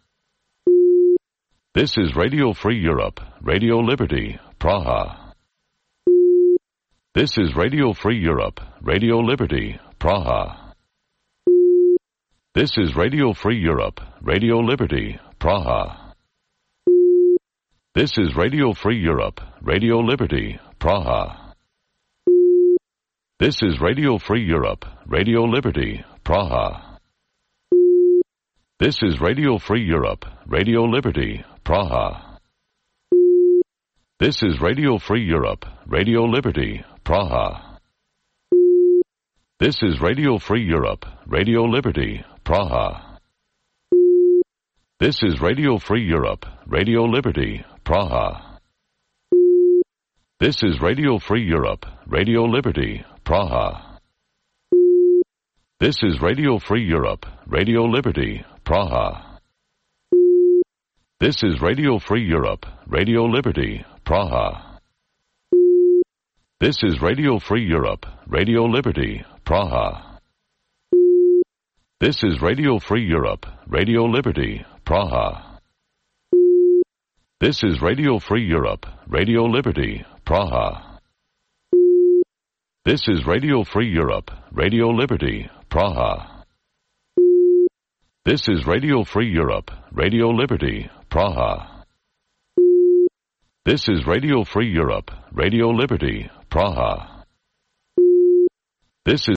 [SPEAKER 17] This is Radio Free Europe, Radio Liberty, Praha. This is Radio Free Europe, Radio Liberty, Praha. This is Radio Free Europe, Radio Liberty, Praha. This is Radio Free Europe, Radio Liberty, Praha. This is Radio Free Europe, Radio Liberty, Praha. This is Radio Free Europe, Radio Liberty, Praha. This is Radio Free Europe, Radio Liberty, Praha. This is Radio Free Europe, Radio Liberty, Praha. This is Radio Free Europe, Radio Liberty, Praha. This is Radio Free Europe, Radio Liberty, Praha. This is Radio Free Europe, Radio Liberty, Praha. This is Radio Free Europe, Radio Liberty, Praha. This is Radio Free Europe, Radio Liberty, Praha. This is Radio Free Europe, Radio Liberty, Praha. This is Radio Free Europe, Radio Liberty, Praha. This is Radio Free Europe, Radio Liberty, Praha. This is Radio Free Europe, Radio Liberty, Praha. This is Radio Free Europe, Radio Liberty, Praha. This is